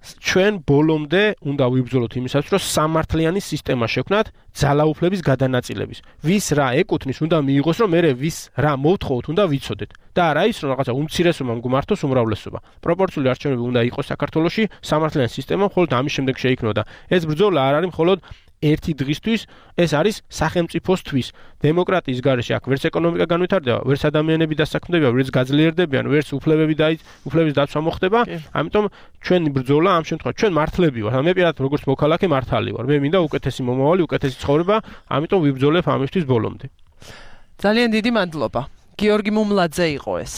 ჩვენ ბოლომდე უნდა ვიბრძოლოთ იმისათვის, რომ სამართლიანი სისტემა შექმნათ ძალაუფლების გადანაწილების. ვის რა ეკუთვნის, უნდა მიიღოს, რომ მე ვის რა მოვთხოვოთ, უნდა ვიცოდეთ. და არა ის, რომ რაღაცა უმცირესობამ გმართოს უმრავლესობა. პროპორციული არჩევნები უნდა იყოს საქართველოში, სამართლიანი სისტემა მხოლოდ ამის შემდეგ შეიქმნოდა. ეს ბრძოლა არ არის მხოლოდ ერთი დღისთვის, ეს არის სახელმწიფოსთვის. დემოკრატიის გარეშე აქ ვერც ეკონომიკა განვითარდება, ვერც ადამიანები დასაქმდებიან, ვერც გაძლიერდებიან, ვერც უფლებები და უფლების დაცვა მოხდება. ამიტომ ჩვენი ბრძოლა ამ შემთხვევაში ჩვენ მართლები ვართ. მე პირადად როგორც მოქალაქე მართალი ვარ. მე მინდა უკეთესი მომავალი, უკეთესი ცხოვრება, ამიტომ ვიბრძოლებ ამისთვის ბოლომდე. ძალიან დიდი მადლობა. გიორგი მუმლაძე იყო ეს.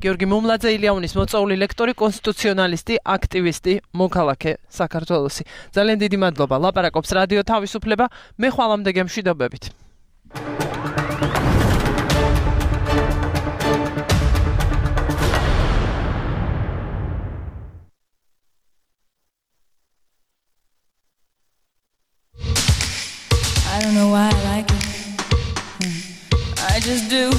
გიორგი მუმლაძე ილიანის მოწვეული ლექტორი, კონსტიტუციონალისტი, აქტივისტი, მოქალაქე საქართველოსი. ძალიან დიდი მადლობა. ლაპარაკობს რადიო თავისუფლება. მე ხვალამდე გემშვიდობებით. I don't know why I like it. I just do.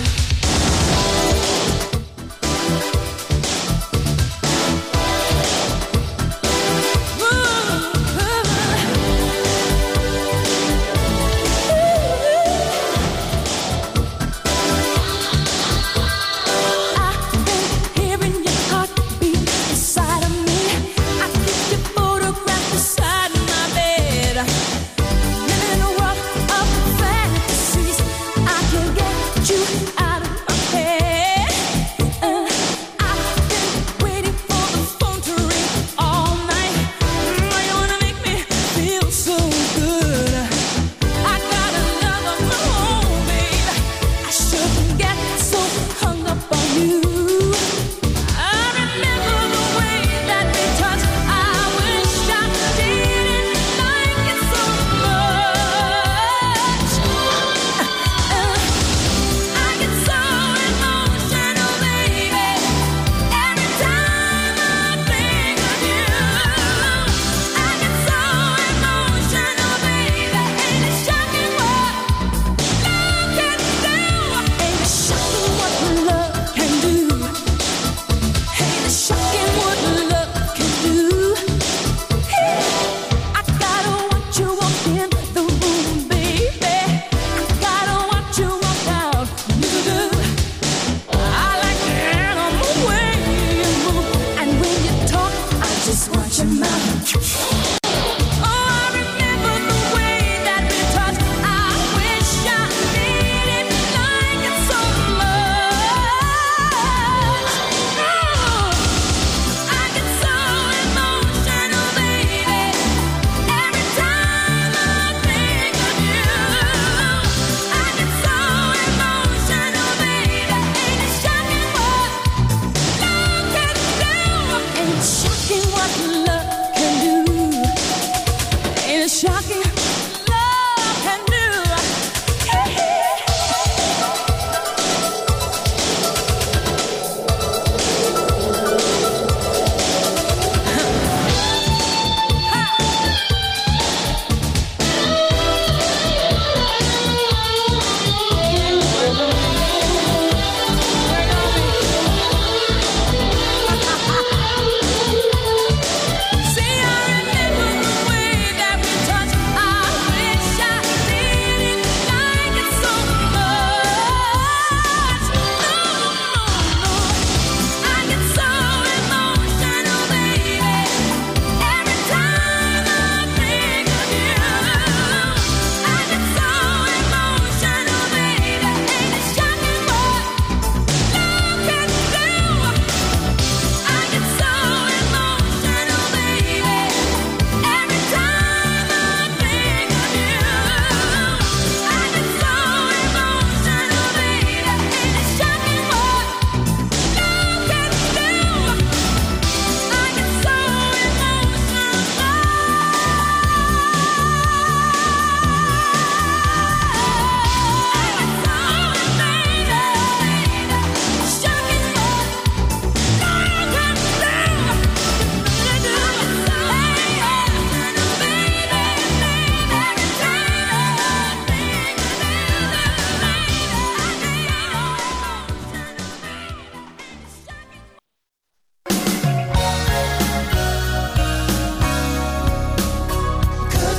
See, I remember the way that we touched.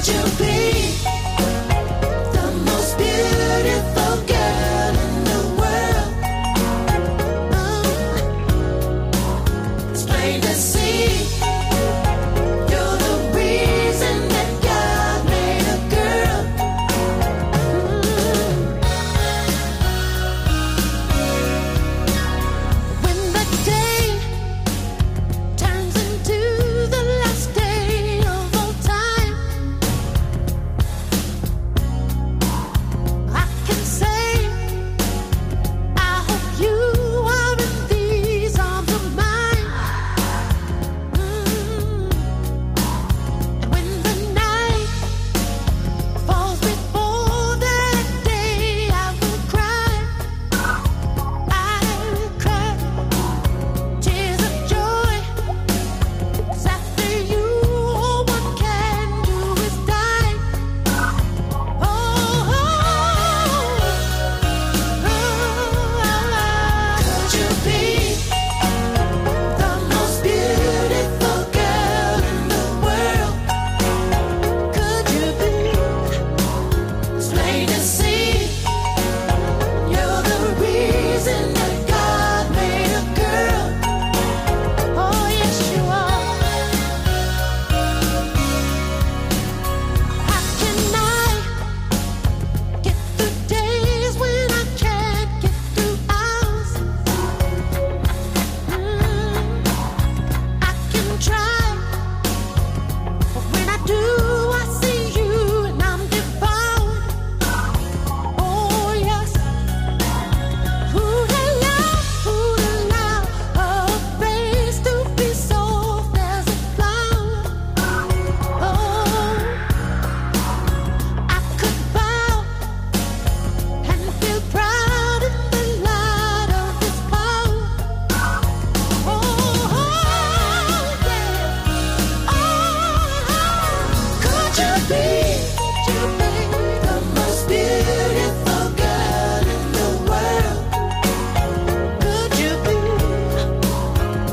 Could you be the most beautiful girl in the world? Oh, it's plain to see. You're the reason that God made a girl. When the day turns into the last day of all time, I can say, I hope you are in these arms of mine. Mm. And when the night falls before that day, I will cry. I will cry tears of joy. 'Cause after you, all one can do is die. Oh, oh, could you be the most beautiful girl in the world? Could you be? It's plain to see. You're the reason that God made a girl. Oh, yes, you are. How can I get through days when I can't get through hours? Mm, I can try, but when I do, I see you and I'm devoured. Oh, yes. Who'd allow, who'd allow a face to be soft as a flower? Oh, I could bow and feel proud in the light of His power. Oh, yeah. Oh, could you be, could you be the most beautiful girl in the world? Could you be?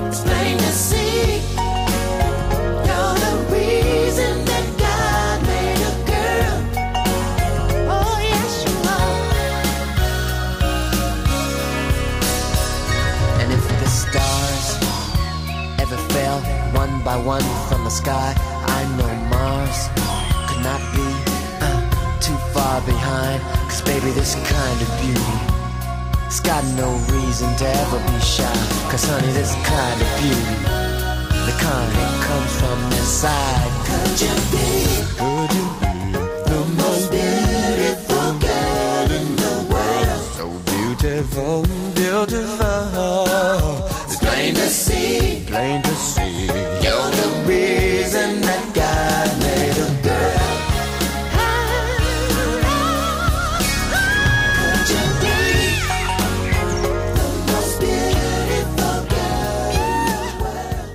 It's plain to see. You're the reason that God made a girl. Oh, yes, you are. And if the stars ever fell one by one from the sky, I know Mars could not be uh, too far behind. 'Cause baby, this kind of beauty, it's got no reason to ever be shy. 'Cause honey, this kind of beauty, the kind that comes from inside. Could you be Could you be the most beautiful girl in the world? so beautiful, beautiful? It's plain to see. Plain to see. You're the reason that God made a girl. Could you be the most beautiful girl in the world?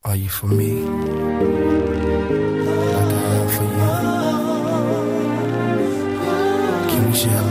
Are you for me? Like I am for you. Can we share